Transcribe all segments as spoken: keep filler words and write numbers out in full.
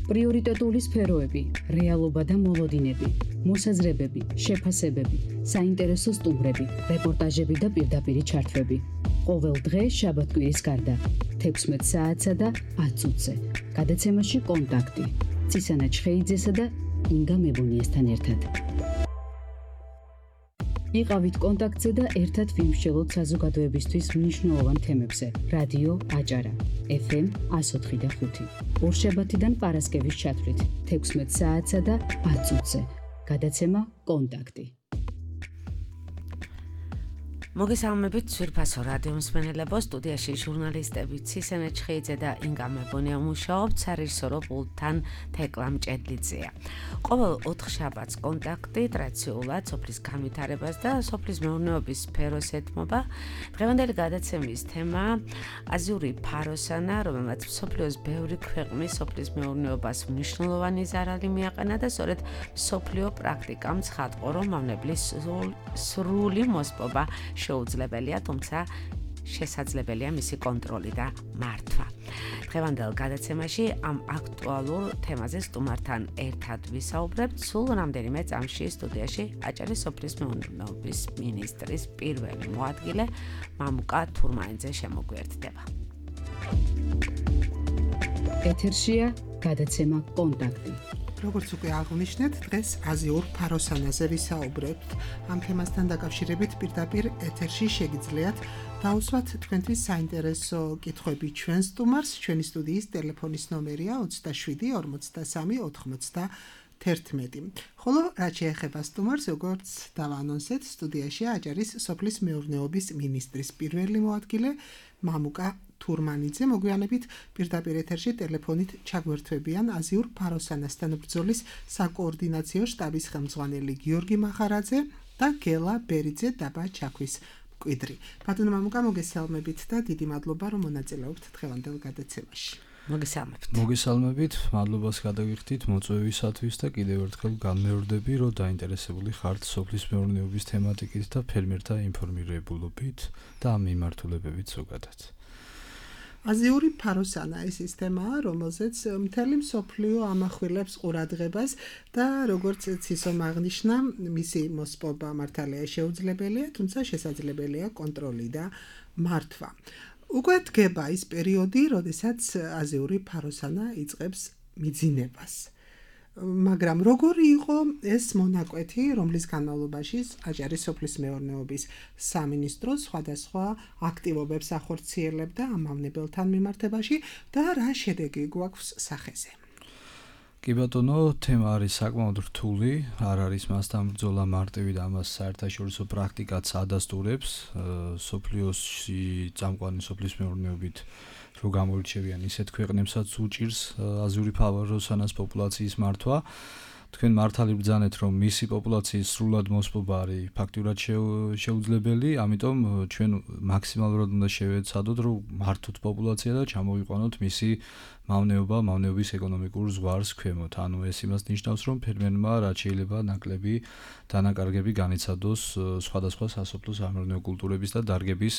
პრიორიტეტული სფეროები, რეალობა და მოლოდინები, მოსაზრებები, შეფასებები, საინტერესო სტუმრები, რეპორტაჟები და პირდაპირი ჩართვები. ყოველ დღე შაბათ-კვირის გარდა, თექვსმეტ საათსა და ათ წუთზე. გადაცემაში კონტაქტი. წისანა ჩხეიძესა და ინგა მებუნიესთან ერთად. იყავით კონტაქტზე და ერთად ვიმსჯელოთ საზოგადოებისთვის მნიშვნელოვან თემებზე. რადიო აჭარა, ეფ ემ εκατო ოთხი და ხუთი. ორშაბათიდან პარასკევის ჩათვლით, თექვსმეტ საათსა და ათ წუთზე. გადაცემა კონტაქტი. მოგესალმებით ძვირფასო რადიო მსმენელებო, სტუდიაში ჟურნალისტები ცისენე ჩხეიძე და ინგა მებონია მუშაობთ, სარეჟისორო პულტთან თეკლა მჭედლიძეა. ყოველ ოთხშაბათს კონტაქტი ტრადიციულად სოფლის განვითარებას და სოფლის მეურნეობის სფეროს ეთმობა. დღევანდელი გადაცემის თემა აზიური ფაროსანა, რომელმაც მსოფლიოს ბევრი ქვეყნის სოფლის მეურნეობას მნიშვნელოვანი ზარალი მიაყენა და სწორედ მსოფლიო პრაქტიკამ ცხადყო, რომ მავნებლის სრული მოსპობა შეუძლებელია, თუმცა შესაძლებელია მისი კონტროლი და მართვა. დღევანდელ გადაცემაში ამ აქტუალურ თემაზე სტუმართან ერთად ვისაუბრებთ. სულ რამდენიმე წამში სტუდიაში აჭარის სოფლის მეურნეობის მინისტრის პირველი მოადგილე მამუკა თურმანიძე შემოგვიერთდება. ეთერშია გადაცემა კონტაქტი. როგორც უკვე აღნიშნეთ, დღეს აზიურ ფაროსანაზე ვისაუბრებთ. ამ თემასთან დაკავშირებით პირდაპირ ეთერში შეგიძლიათ დაუსვათ თქვენთვის საინტერესო კითხვები ჩვენ სტუმარს. ჩვენი სტუდიის ტელეფონის ნომერია ოცდაშვიდი ორმოცდასამი ოთხმოცდაათერთმეტი. ხოლო რაც შეეხება სტუმარს, როგორც დავანონსეთ, სტუდიაშია აჭარის სოფლის მეურნეობის მინისტრის პირველი მოადგილე მამუკა თურმანიძე. მოგვიანებით პირდაპირ ეთერში ტელეფონით ჩაგვერთვებიან აზიურ ფაროსანასთან ბრძოლის საკოორდინაციო შტაბის ხელმძღვანელი გიორგი მახარაძე და გელა ბერიძე დაბა ჩაქვის მკვიდრი. ბატონო მამუკა, მოგესალმებით და დიდი მადლობა, რომ მონაწილეობთ დღევანდელ გადაცემაში. მოგესალმებით. მოგესალმებით, მადლობას გადავიხდით მოწვევისათვის და კიდევ ერთხელ განმეორდები, რომ დაინტერესებული ხართ სოფლის მეურნეობის თემატიკით და ფერმერთა ინფორმირებულობით და ამ მიმართულებებით ზოგადად. აზიური ფაროსანა ეს ის თემაა, რომელზეც მთელი მსოფლიო ამახვილებს ყურადღებას და როგორც ცისომ აღნიშნა, მისი მოსპობა მართალია შეუძლებელია, თუმცა შესაძლებელია კონტროლი და მართვა. უკვე დგება ის პერიოდი, როდესაც აზიური ფაროსანა იწყებს მიძინებას. მაგრამ როგორი იყო ეს მონაკვეთი, რომლის განმავლობაში აჭარის სოფლის მეურნეობის სამინისტრო სხვადასხვა აქტივობებს ახორციელებდა ამ მავნებელთან მიმართებაში და რა შედეგი გვაქვს სახეზე? კი ბატონო, თემა არის საკმაოდ რთული, არ არის მასთან ბრძოლა მარტივი და ამას საერთაშორისო პრაქტიკაც ადასტურებს. სოფლიოსში წამყვანი სოფლის მეურნეობით რო გამოირჩევიან ისეთ ქვეყნებსაც უჭირს აზიური ფაროსანას პოპულაციის მართვა. თქვენ მართალი ბრძანეთ, რომ მისი პოპულაციის სრულად მოსპობა არის ფაქტურად შეუძლებელი, ამიტომ ჩვენ მაქსიმალურად უნდა შევეცადოთ, რომ მართოთ პოპულაცია და ჩამოვიყვანოთ მისი მავნეობა, მავნეობის ეკონომიკურ ზღვარს ქვემოთ. ანუ ეს იმას ნიშნავს, რომ ფერმერმა რაც შეიძლება ნაკლები დანაკარგები განიცადოს სხვადასხვა სასოფლო სამეურნეო კულტურების და დარგების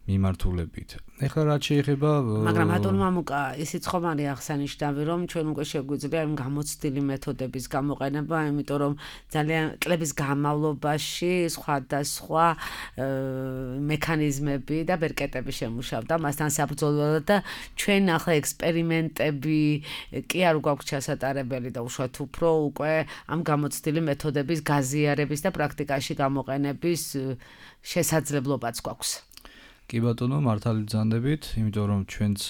მიმართულებით. ეხლა რაც შეეხება, მაგრამ ბატონო მამუკა, ისიც ხომ არის აღსანიშნავი, რომ ჩვენ უკვე შეგვიძლია ამ გამოცდილი მეთოდების გამოყენება, იმიტომ რომ ძალიან წლების განმავლობაში სხვადასხვა მექანიზმები და ბერკეტები შემუშავდა მასთან საბრძოლველად და ჩვენ ახლა ექსპერიმენტები კი არ გვაქვს ჩასატარებელი და უშუალოდ უფრო უკვე ამ გამოცდილი მეთოდების გაზიარების და პრაქტიკაში გამოყენების შესაძლებლობაც გვაქვს. კი ბატონო, მართალი ბრძანდებით, იმიტომ რომ ჩვენც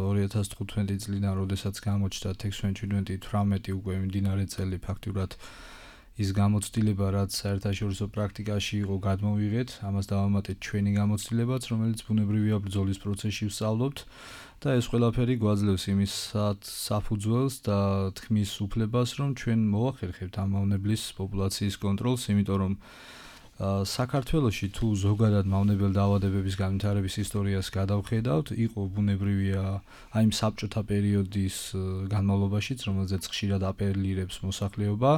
ორი ათას თხუთმეტი წლიდან, როდესაც გამოჩნდა თექვსმეტ თვრამეტი უკვე მიმდინარე წელი, ფაქტურად ის გამოცდილება, რაც საერთაშორისო პრაქტიკაში იყო, გადმოვიღეთ, ამას დავამატეთ ჩვენი გამოცდილებაც, რომელიც ბუნებრივია ბრძოლის პროცესში ვსწავლობთ და ეს ყველაფერი გვაძლევს იმის საფუძველს და თქმის უფლებას, რომ ჩვენ მოვახერხებთ ამ მავნებლის პოპულაციის კონტროლს, იმიტომ რომ საქართველოში თუ ზოგადად მავნებელ დაავადებების განვითარების ისტორიას გადავხედავთ, იყო ბუნებრივია აი იმ საბჭოთა პერიოდის განმავლობაშიც, რომელზეც ხშირად აპელირებს მოსახლეობა,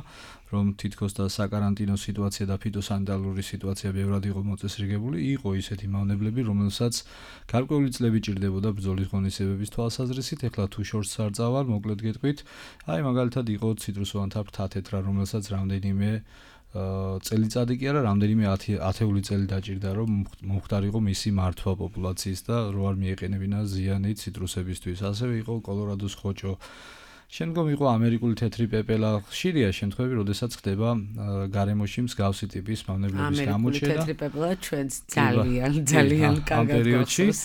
რომ თითქოს და საკარანტინო სიტუაცია და ფიტოსანიტარული სიტუაცია ბევრად იყო მოწესრიგებული, იყო ისეთი მავნებლები, რომელსაც გარკვეული წლები ჭირდებოდა ბრძოლის ღონისძიებების თვალსაზრისით, ეხლა თუ შორს არ წავალ, მოკლედ გეტყვით, აი მაგალითად იყო ციტრუსოვანთა ფრთათეთრა, რომელსაც რამდენიმე წელიწადი კი არა, რამდენიმე ათეული წელი დაჭირდა, რომ მომხდარიყო მისი მართვა პოპულაციის და რო არ მიეყენებინა ზიანი ციტრუსებისთვის. ასევე იყო კოლორადოს ხოჭო. შემდგომ იყო ამერიკული თეთრი პეპელა. ხშირია შემთხვევები, როდესაც ხდება გარემოში მსგავსი ტიპის მავნებლების გამოჩენა. ამერიკული თეთრი პეპელა ჩვენს ძალიან ძალიან კარგად გახსოვს.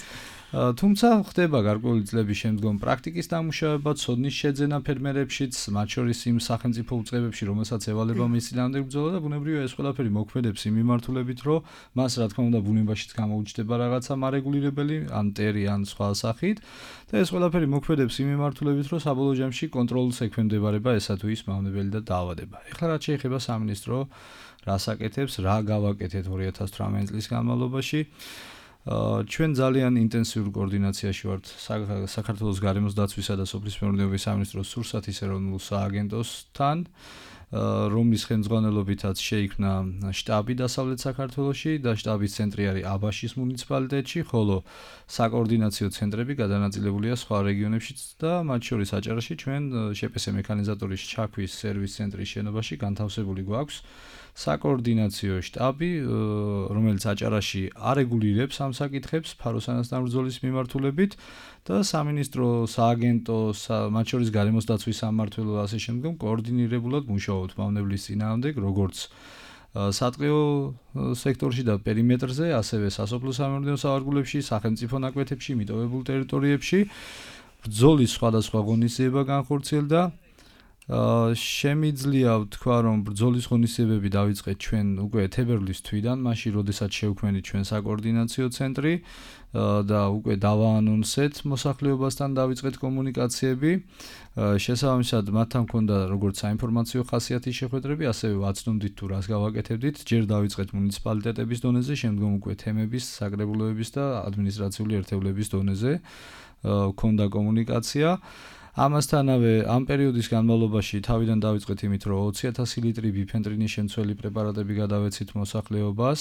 თუმცა ხდება გარკვეული წლების შემდგომ პრაქტიკის დამუშავება, ცოდნის შეძენა ფერმერებშიც, მათ შორის იმ სახელმწიფო უწყებებში, რომელსაც ევალება მის წინააღმდეგ ბრძოლა და ბუნებრივია ეს ყველაფერი მოქმედებს იმ მიმართულებით, რომ მას რა თქმა უნდა ბუნებაშიც გამოუჩნდება რაღაცა მარეგულირებელი, ან ტერი, ან სხვა სახით და ეს ყველაფერი მოქმედებს იმ მიმართულებით, რომ საბოლოო ჯამში კონტროლს ექვემდებარება ესა თუ ის მავნებელი და დაავადება. ეხლა რაც შეეხება სამინისტრო რას აკეთებს, რა გავაკეთეთ ორი ათას თვრამეტი წლის განმავლობაში. ჩვენ ძალიან ინტენსიურ კოორდინაციაში ვართ საქართველოს გარემოს დაცვისა და სოფლის მეურნეობის სამინისტროს სურსათის ეროვნულ სააგენტოსთან, რომლის ხელმძღვანელობითაც შეიქმნა შტაბი დასავლეთ საქართველოში და შტაბის ცენტრი არის აბაშის მუნიციპალიტეტში, ხოლო საკოორდინაციო ცენტრები გადანაწილებულია სხვა რეგიონებშიც და მათ შორის აჭარაში ჩვენ შპს მექანიზატორის ჩაქვის სერვის ცენტრის შენობაში განთავსებული გვაქვს საკოორდინაციო შტაბი, რომელიც აჭარაში არეგულირებს ამ საკითხებს ფაროსანასთან ბრძოლის მიმართულებით და სამინისტრო სააგენტო, მათ შორის გარემოს დაცვის სამმართველო ასე შემდგომ კოორდინირებულად მუშაობთ მავნებლის წინააღმდეგ, როგორც სატყეო სექტორში და პერიმეტრზე, ასევე სასოფლო სამეურნეო სავარგულებში, სახელმწიფო ნაკვეთებში, მიტოვებულ ტერიტორიებში. ბრძოლის სხვადასხვა ღონისძიება განხორციელდა. შემიძლია ვთქვა, რომ ბრძოლის ღონისძიებები დავიწყეთ ჩვენ უკვე თებერვლის თვიდან, მაშინ როდესაც შევქმნით ჩვენ საკოორდინაციო ცენტრი და უკვე დავაანონსეთ მოსახლეობასთან დავიწყეთ კომუნიკაციები. შესაბამისად, მათთან მქონდა როგორც საინფორმაციო ხასიათის შეხვედრები, ასევე ვაცნობდით თუ რას გავაკეთებდით. ჯერ დავიწყეთ მუნიციპალიტეტების დონეზე, შემდგომ უკვე თემების, საკრებულოების და ადმინისტრაციული ერთეულების დონეზე მქონდა კომუნიკაცია. ამასთანავე ამ პერიოდის განმავლობაში თავიდან დავიწყეთ იმით, რომ ოცი ათასი ლიტრი ბიფენტრინის შემცველი პრეპარატები გადავეცით მოსახლეობას,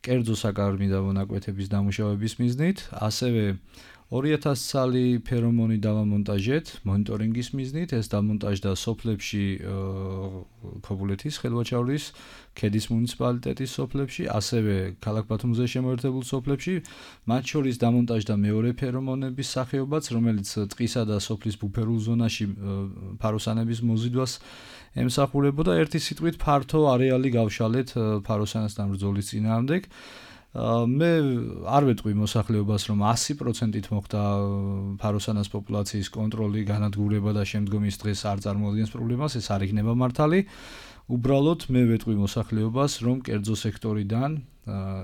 კერძო საკარმი და მონაკვეთების დამუშავების მიზნით, ასევე ორი ათას ცალი ფერომონი დავამონტაჟეთ მონიტორინგის მიზნით, ეს დამონტაჟდა სოფლებში ქობულეთის, ხელვაჩავლის, ქედის მუნიციპალიტეტის სოფლებში, ასევე ქალაქ ბათუმზე შემოერთებულ სოფლებში, მათ შორის დამონტაჟდა მეორე ფერომონების სახეობაც, რომელიც ტყისა და სოფლის ბუფერულ ზონაში ფაროსანების მოზიდვას ემსახურებოდა. ერთი სიტყვით ფართო არეალი გავშალეთ ფაროსანასთან ბრძოლის წინააღმდეგ. მე არ ვეტყვი მოსახლეობას, რომ ასი პროცენტით მოხდა ფაროსანას პოპულაციის კონტროლი, განადგურება და შემდგომ ის დღეს არ წარმოადგენს პრობლემას, ეს არ იქნება მართალი. უბრალოდ მე ვეტყვი მოსახლეობას, რომ კერძო სექტორიდან,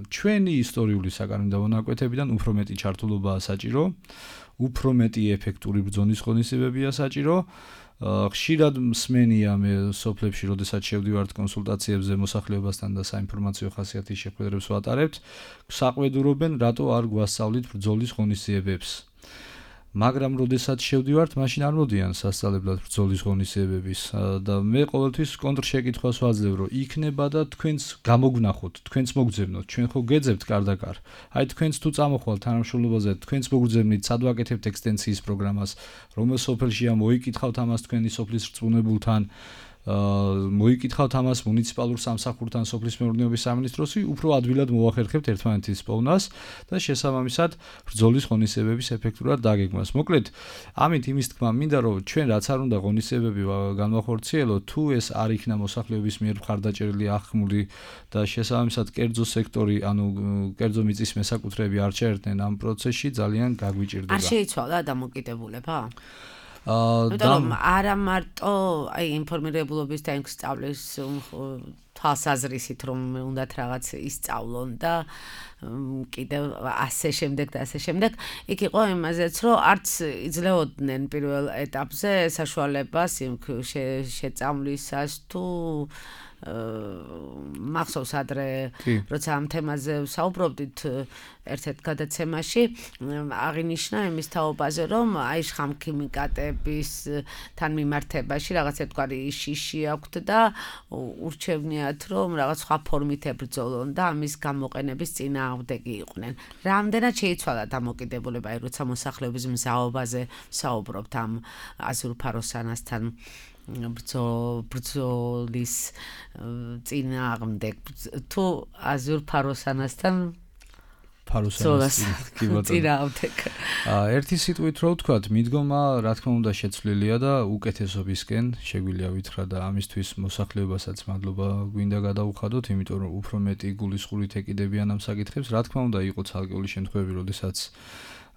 ჩვენი ისტორიული საკარმი და მონაკვეთებიდან უფრო მეტი ჩართულობაა საჭირო, უფრო მეტი ეფექტური ბრძოლის ღონისძიებებია საჭირო. ხშირად მსმენია მე სოფლებში, როდესაც შევდივართ კონსულტაციებზე მოსახლეობასთან და საინფორმაციო ხასიათის შეხვედრებს ვატარებთ, საყვედურობენ, რატო არ გვასწავლით ბრძოლის ღონისძიებებს. მაგრამ როდესაც შევდივართ, მაშინ არ მოდიან სასწავლებლად ბრძოლის ღონისძიებების და მე ყოველთვის კონტრშეკითხვას ვაძლევ, რომ იქნება და თქვენს გამოგვნახოთ, თქვენს მოგძებნოთ, ჩვენ ხო გეძებთ კარდაკარ. აი თქვენს თუ წამოხვალთ თანამშრომლობაზე, თქვენს მოგძებნით, სად ვაკეთებთ ექსტენსიის პროგრამას, რომელ სოფელშია, მოიკითხავთ ამას თქვენი სოფლის რწმუნებულთან, მოიკითხავთ ამას მუნიციპალურ სამსახურთან სოფლის მეურნეობის სამინისტროსი, უფრო ადვილად მოვახერხებთ ერთმანეთის პოვნას და შესაბამისად ბრძოლის ღონისძიებების ეფექტურად დაგეგმას. მოკლედ, ამით იმის თქმა მინდა, რომ ჩვენ რაც არ უნდა ღონისძიებები განვახორციელოთ, თუ ეს არ იქნა მოსახლეობის მიერ მხარდაჭერილი აღქმული და შესაბამისად კერძო სექტორი, ანუ კერძო მიწის მესაკუთრეები არ ჩაერთნენ ამ პროცესში, ძალიან გაგვიჭირდება. არ შეიცვალა დამოკიდებულება? აა არა მარტო აი ინფორმირებულობის და სწავლის თვალსაზრისით, რომ უნდათ რაღაც ისწავლონ და კიდევ ასე შემდეგ და ასე შემდეგ. იქ იყო იმაზეც, რომ არც იძლეოდნენ პირველ ეტაპზე საშუალებას იმ შეწამვლისას თუ მახსოვს ადრე როცა ამ თემაზე საუბრობდით ერთ-ერთ გადაცემაში აღინიშნა იმის თაობაზე რომ აი შხამქიმიკატების თან მიმართებაში რაღაც ერთგვარი შიში აქვთ და ურჩევნიათ რომ რაღაც სხვა ფორმით ებრძოლონ და ამის გამოყენების წინააღმდეგი იყვნენ. რამდენად შეიცვალა დამოკიდებულება აი როცა მოსახლეობის მზაობაზე საუბრობთ ამ აზურ ფაროსანასთან ბრძოლის წინააღმდეგ თუ აზურ ფაროსანასთან ფაროსანასთან კი ბატონო. ერთი სიტყვით რო ვთქვათ, მიდგომა რა თქმა უნდა შეცვლილია და უკეთესობისკენ შეგვიძლია ვითხრა და ამისთვის მოსახლეობასაც მადლობა გვინდა გადაუხადოთ, იმიტომ რომ უფრო მეტი გულისხმობით ეკიდებიან ამ საკითხებს. რა თქმა უნდა იყო ცალკეული შემთხვევები, როდესაც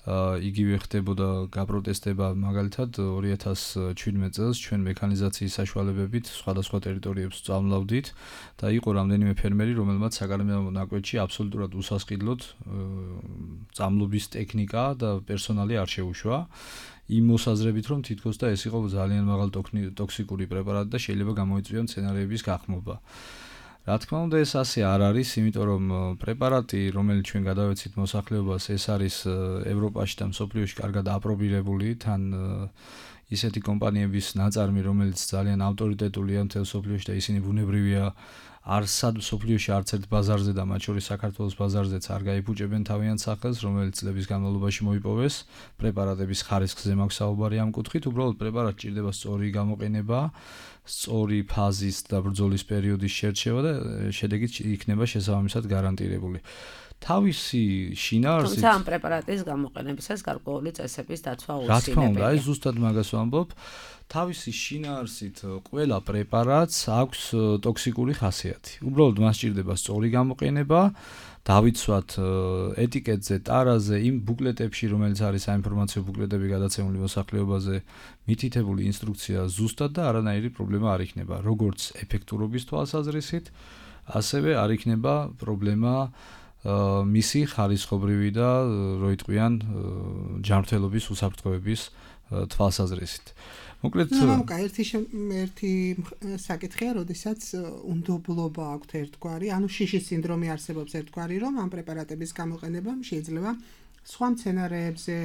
იგივე ხდებოდა გაპროტესტება მაგალითად ორი ათას შვიდმეტ წელს ჩვენ მექანიზაციის საშუალებებით სხვადასხვა ტერიტორიებს წამლავდით და იყო რამდენიმე ფერმერი, რომელმაც საგარეო ნაკვეთში აბსოლუტურად უსასყიდლოდ წამლობის ტექნიკა და პერსონალი არ შეუშვა. იმ მოსაზრებით რომ თითქოს და ეს იყო ძალიან მაღალ ტოქსიკური პრეპარატი და შეიძლება გამოიწვია მცენარეების გახმობა. რა თქმა უნდა ეს ასე არ არის, იმიტომ რომ პრეპარატი, რომელიც ჩვენ გადავეცით მოსახლეობას, ეს არის ევროპაში და მსოფლიოში კარგად აპრობირებული, თან ისეთი კომპანიების ნაწარმი, რომელიც ძალიან ავტორიტეტულია მთელ მსოფლიოში და ისინი ბუნებრივია არსად მსოფლიოში არც ერთ ბაზარზე და მათ შორის საქართველოს ბაზარზეც არ გაიფუჭებენ თავიანთ სახელს, რომელიც წლების განმავლობაში მოიპოვეს. პრეპარატების ხარისხზე მაქვს საუბარი ამ კუთხით, უბრალოდ პრეპარატს ჭირდება სწორი გამოყენება, სწორი ფაზის და ბრძოლის პერიოდის შერჩევა და შედეგით იქნება შესაბამისად გარანტირებული. თავისი შინაარსით თუმცა ამ პრეპარატის გამოყენებისას გარკვეული წესების დაცვა რა თქმა უნდა, აუცილებელია. აი ზუსტად მაგას ვამბობ. თავისი შინაარსით ყველა პრეპარატს აქვს ტოქსიკური ხასიათი. უბრალოდ მას ჭირდება სწორი გამოყენება, დავიცვათ ეტიკეტზე, ტარაზე, იმ ბუკლეტებში, რომელიც არის საინფორმაციო ბუკლეტები გადაცემული მოსახლეობაზე, მითითებული ინსტრუქცია ზუსტად და არანაირი პრობლემა არ იქნება, როგორც ეფექტურობის თვალსაზრისით, ასევე არ იქნება პრობლემა მისი ხარისხობრივი და რო იტყვიან ჯანმრთელობის უსაფრთხოების თვალსაზრისით. მოკლედ მამკა ერთი ერთი საკითხია, როდესაც უნდობლობა აქვთ ერთგვარი, ანუ შიშის სინდრომი არსებობს ერთგვარი, რომ ამ პრეპარატების გამოყენებამ შეიძლება სხვა მცენარეებზე,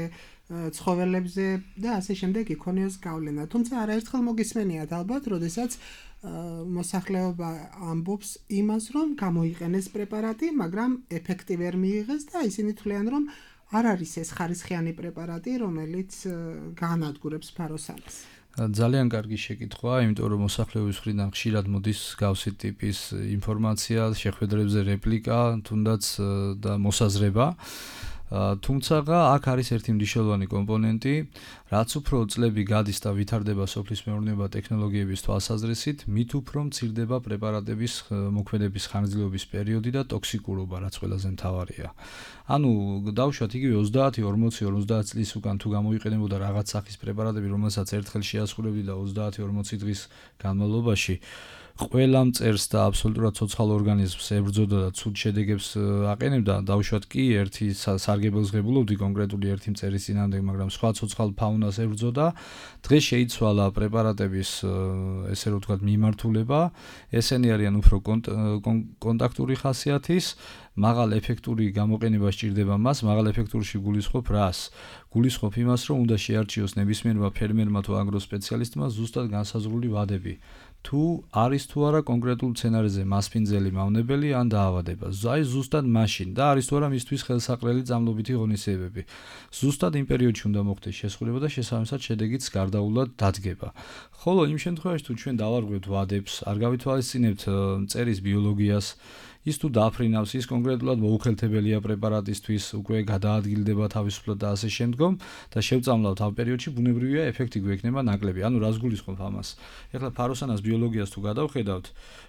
ცხოველებზე და ასე შემდეგ იქონიოს გავლენა. თუმცა არაერთხელ მოგისმენიათ ალბათ, როდესაც მოსახლეობა ამბობს იმას, რომ გამოიყენეს პრეპარატი, მაგრამ ეფექტი ვერ მიიღეს და ისინი თვლიან, რომ არ არის ეს ხარისხიანი პრეპარატი, რომელიც გაანადგურებს ფაროსანას. ძალიან კარგი შეკითხვაა, იმიტომ რომ მოსახლეობის მხრიდან ხშირად მოდის გავსი ტიპის ინფორმაცია, შეხვედრებზე რეპლიკა, თუნდაც და მოსაზრება. თუმცა აქ არის ერთი მნიშვნელოვანი კომპონენტი, რაც უფრო წლები გადის და ვითარდება სოფლის მეურნეობა ტექნოლოგიების თვალსაზრისით, მით უფრო მცირდება პრეპარატების მოქმედების ხანგრძლივობის პერიოდი და ტოქსიკურობა, რაც ყველაზე მთავარია. ანუ დავუშვათ იგივე ოცდაათი, ორმოცი, ორმოცდაათ წლის უკან თუ გამოიყენებოდა რაღაც სახის პრეპარატები, რომელსაც ერთხელ შეასრულებდი და ოცდაათი ორმოცი დღის განმავლობაში ყველა მწერს და აბსოლუტურად ცოცხალ ორგანიზმს ებრძოდა და ცუდ შედეგებს აყენებდა, დავუშვათ კი ერთი სარგებელს ღებულობდი კონკრეტული ერთი მწერის წინააღმდეგ, მაგრამ სხვა ცოცხალ ფაუნას ებრძოდა. დღეს შეიცვალა პრეპარატების ესე რომ ვთქვათ მიმართულება, ესენი არიან უფრო კონტაქტური ხასიათის, მაღალ ეფექტური გამოყენება სჭირდება მას, მაღალ ეფექტურში გულისხმობ რას? გულისხმობ იმას, რომ უნდა შეარჩიოს ნებისმიერმა ფერმერმა თუ აგროსპეციალისტმა ზუსტად განსაზღვრული ვადები. თუ არის თუ არა კონკრეტულ მცენარეზე მასპინძელი მავნებელი ან დაავადება. აი ზუსტად მაშინ და არის თუ არა მისთვის ხელსაყრელი წამლობითი ღონისძიებები. ზუსტად იმ პერიოდში უნდა მოხდეს შესრულება და შესაბამისად შედეგიც გარდაულად დადგება. ხოლო იმ შემთხვევაში თუ ჩვენ დავარღვევთ ვადებს, არ გავითვალისწინებთ მწერის ბიოლოგიას, ის თუ დაფრინავს, ის კონკრეტულად მოუხელთებელია პრეპარატისთვის, უკვე გადაადგილდება თავისუფლად და ასე შემდგომ და შევწამლავთ ამ პერიოდში ბუნებრივია ეფექტი გვექნება ნაკლები. ანუ რას გულისხმობ ამას? ეხლა ფაროსანას ბიოლოგიას თუ გადავხედავთ,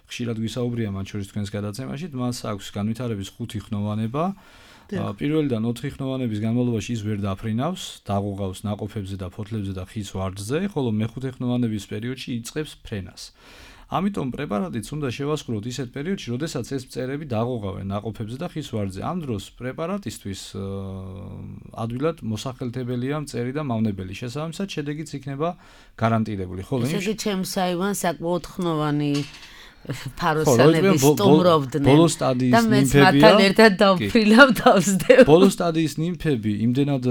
ხშირად გვისაუბრია მათ შორის თქვენს გადაცემაში, მას აქვს განვითარების ხუთი ხნოვანება. პირველიდან ოთხი ხნოვანების განმავლობაში ის ვერ დაფრინავს, დაღუღავს ნაყოფებზე და ფოთლებზე და ხის ვარდზე, ხოლო მეხუთე ხნოვანების პერიოდში იწყებს ფრენას. ამიტომ პრეპარატიც უნდა შევასრულოთ ისეთ პერიოდში, როდესაც ეს მწერები დაღუღავენ ნაყოფებზე და ხის ვარდზე. ამ დროს პრეპარატისთვის ადვილად მოსახელთებელია მწერი და მავნებელი. შესაბამისად, შედეგიც იქნება გარანტირებული. ხოლო ისე ჩემს აივანს საკმაოდ ხნოვანი ფაროსანები სტუმრობდნენ. ბოლო სტადიის ნიმფებია. და მეც მათთან ერთად დავფრინავ დავსდებ. ბოლო სტადიის ნიმფები იმდენად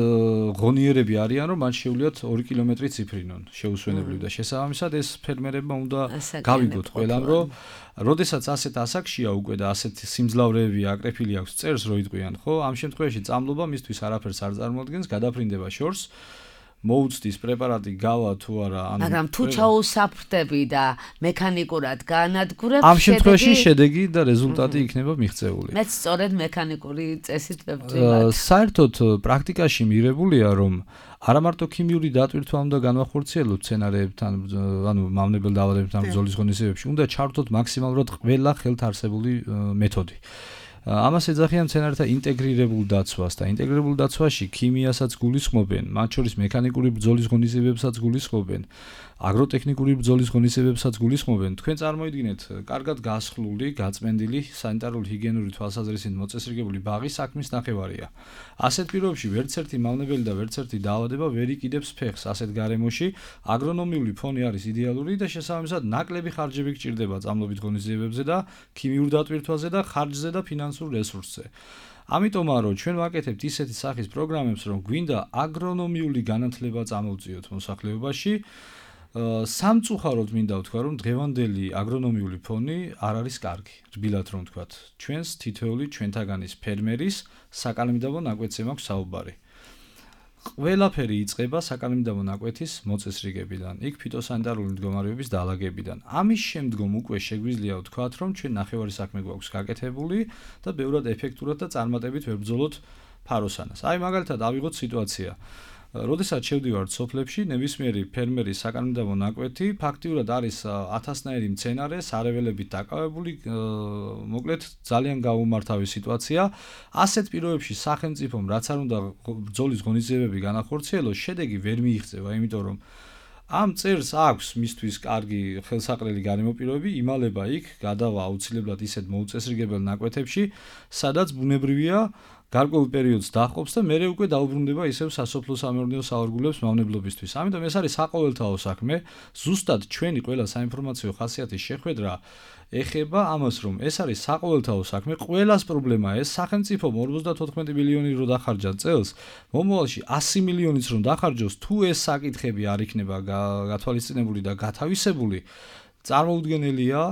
ღონიერები არიან, რომ მათ შეუძლიათ ორი კილომეტრი ციფრინონ, შეუსვენებლივ და შესაბამისად ეს ფერმერებმა უნდა გავიგოთ ყველამ, რომ როდესაც ასეთ ასაკშია უკვე და ასეთ სიმძლავრეები აკრეფილი აქვს წერს რო იტყვიან, ხო? ამ შემთხვევაში წამლობა მისთვის არაფერს არ წარმოადგენს, გადაფრინდება შორს. მოუწდის პრეპარატი გავა თუ არა, ანუ მაგრამ თუ ჩაუსაფრდები და მექანიკურად გაანადგურებ, ამ შემთხვევაში შედეგი და რეზულტატი იქნება მიღწეული. მეც სწორედ მექანიკური წესით ვებწვივ. საერთოდ პრაქტიკაში მიღებულია, რომ არა მარტო ქიმიური დატვირთვა უნდა განვახორციელოთ სცენარეებთან, ანუ მავნებელ დაავადებებთან ბრძოლის ღონისძიებებში, უნდა ჩართოთ მაქსიმალურად ყველა ხელთ არსებული მეთოდი. ამას ეძახიან მცენარეთა ინტეგრირებულ დაცვას და ინტეგრირებულ დაცვაში ქიმიასაც გულისხმობენ, მათ შორის მექანიკური ბრძოლის ღონისძიებებსაც გულისხმობენ, აგროტექნიკური ბრძოლის ღონისძიებებსაც გულისხმობენ. თქვენ წარმოიდგინეთ, კარგად გასხლული, გაწმენდილი, სანიტარული ჰიგიენური თვალსაზრისით მოწესრიგებული ბაღი საქმის ნახევარია. ასეთ პირობებში ვერც ერთი მავნებელი და ვერც ერთი დაავადება ვერ იყიდებს ფეხს. ასეთ გარემოში აგრონომიული ფონი არის იდეალური და შესაბამისად ნაკლები ხარჯები გჭირდება წამლობით ღონისძიებებზე და ქიმიურ დატვირთვაზე და ხარჯზე და ფინანსურ რესურსზე. ამიტომაა რომ ჩვენ ვაკეთებთ ისეთი სახის პროგრამებს, რომ გვინდა აგრონომიული განათლება წამოვწიოთ მოსახლეობაში. სამწუხაროდ მინდა ვთქვა, რომ დღევანდელი აგრონომიული ფონი არ არის კარგი. რბილად რომ ვთქვათ, ჩვენს თითოეული ჩვენთაგანის ფერმერის საკანონმდებლო ნაკვეთზე მაქვს საუბარი. ყველაფერი იწყება საკანონმდებლო ნაკვეთის მოწესრიგებიდან, იქ ფიტოსანიტარული მდგომარეობის დაალაგებიდან. ამის შემდგომ უკვე შეგვიძლია ვთქვათ, რომ ჩვენ ნახევარი საქმე გვაქვს გაკეთებული და ბევრად ეფექტურად და წარმატებით ვებრძოლოთ ფაროსანას. აი მაგალითად ავიღოთ სიტუაცია. როდესაც შევდივართ სოფლებში, ნებისმიერი ფერმერის საკანონმდებლო ნაკვეთი ფაქტიურად არის ათასნაირი მცენარე, სარეველებით დაკავებული, მოკლედ ძალიან გაუმართავი სიტუაცია. ასეთ პირობებში სახელმწიფომ რაც არ უნდა ბრძოლის ღონისძიებები განახორციელოს, შედეგი ვერ მიიღწევა, იმიტომ რომ ამ წერს აქვს მისთვის კარგი ხელსაყრელი გარემოპირობები, იმალება იქ, გადავა აუცილებლად ისეთ მოუწესრიგებელ ნაკვეთებში, სადაც ბუნებრივია გარკვეულ პერიოდს დაჰყოფს და მერე უკვე დაუბრუნდება ისევ სასოფლო-სამეურნეო საავადმყოფოს მავნებლობისთვის. ამიტომ ეს არის საყოველთაო საქმე. ზუსტად ჩვენი ყველა საინფორმაციო ხასიათის შეხვედრა ეხება ამას, რომ ეს არის საყოველთაო საქმე. ყველას პრობლემაა ეს. სახელმწიფომ ორმოცდათოთხმეტი მილიონი რო დახარჯა წელს, მომავალში ასი მილიონიც რომ დახარჯოს, თუ ეს საკითხები არ იქნება გათვალისწინებული და გათავისებული, წარმოუდგენელია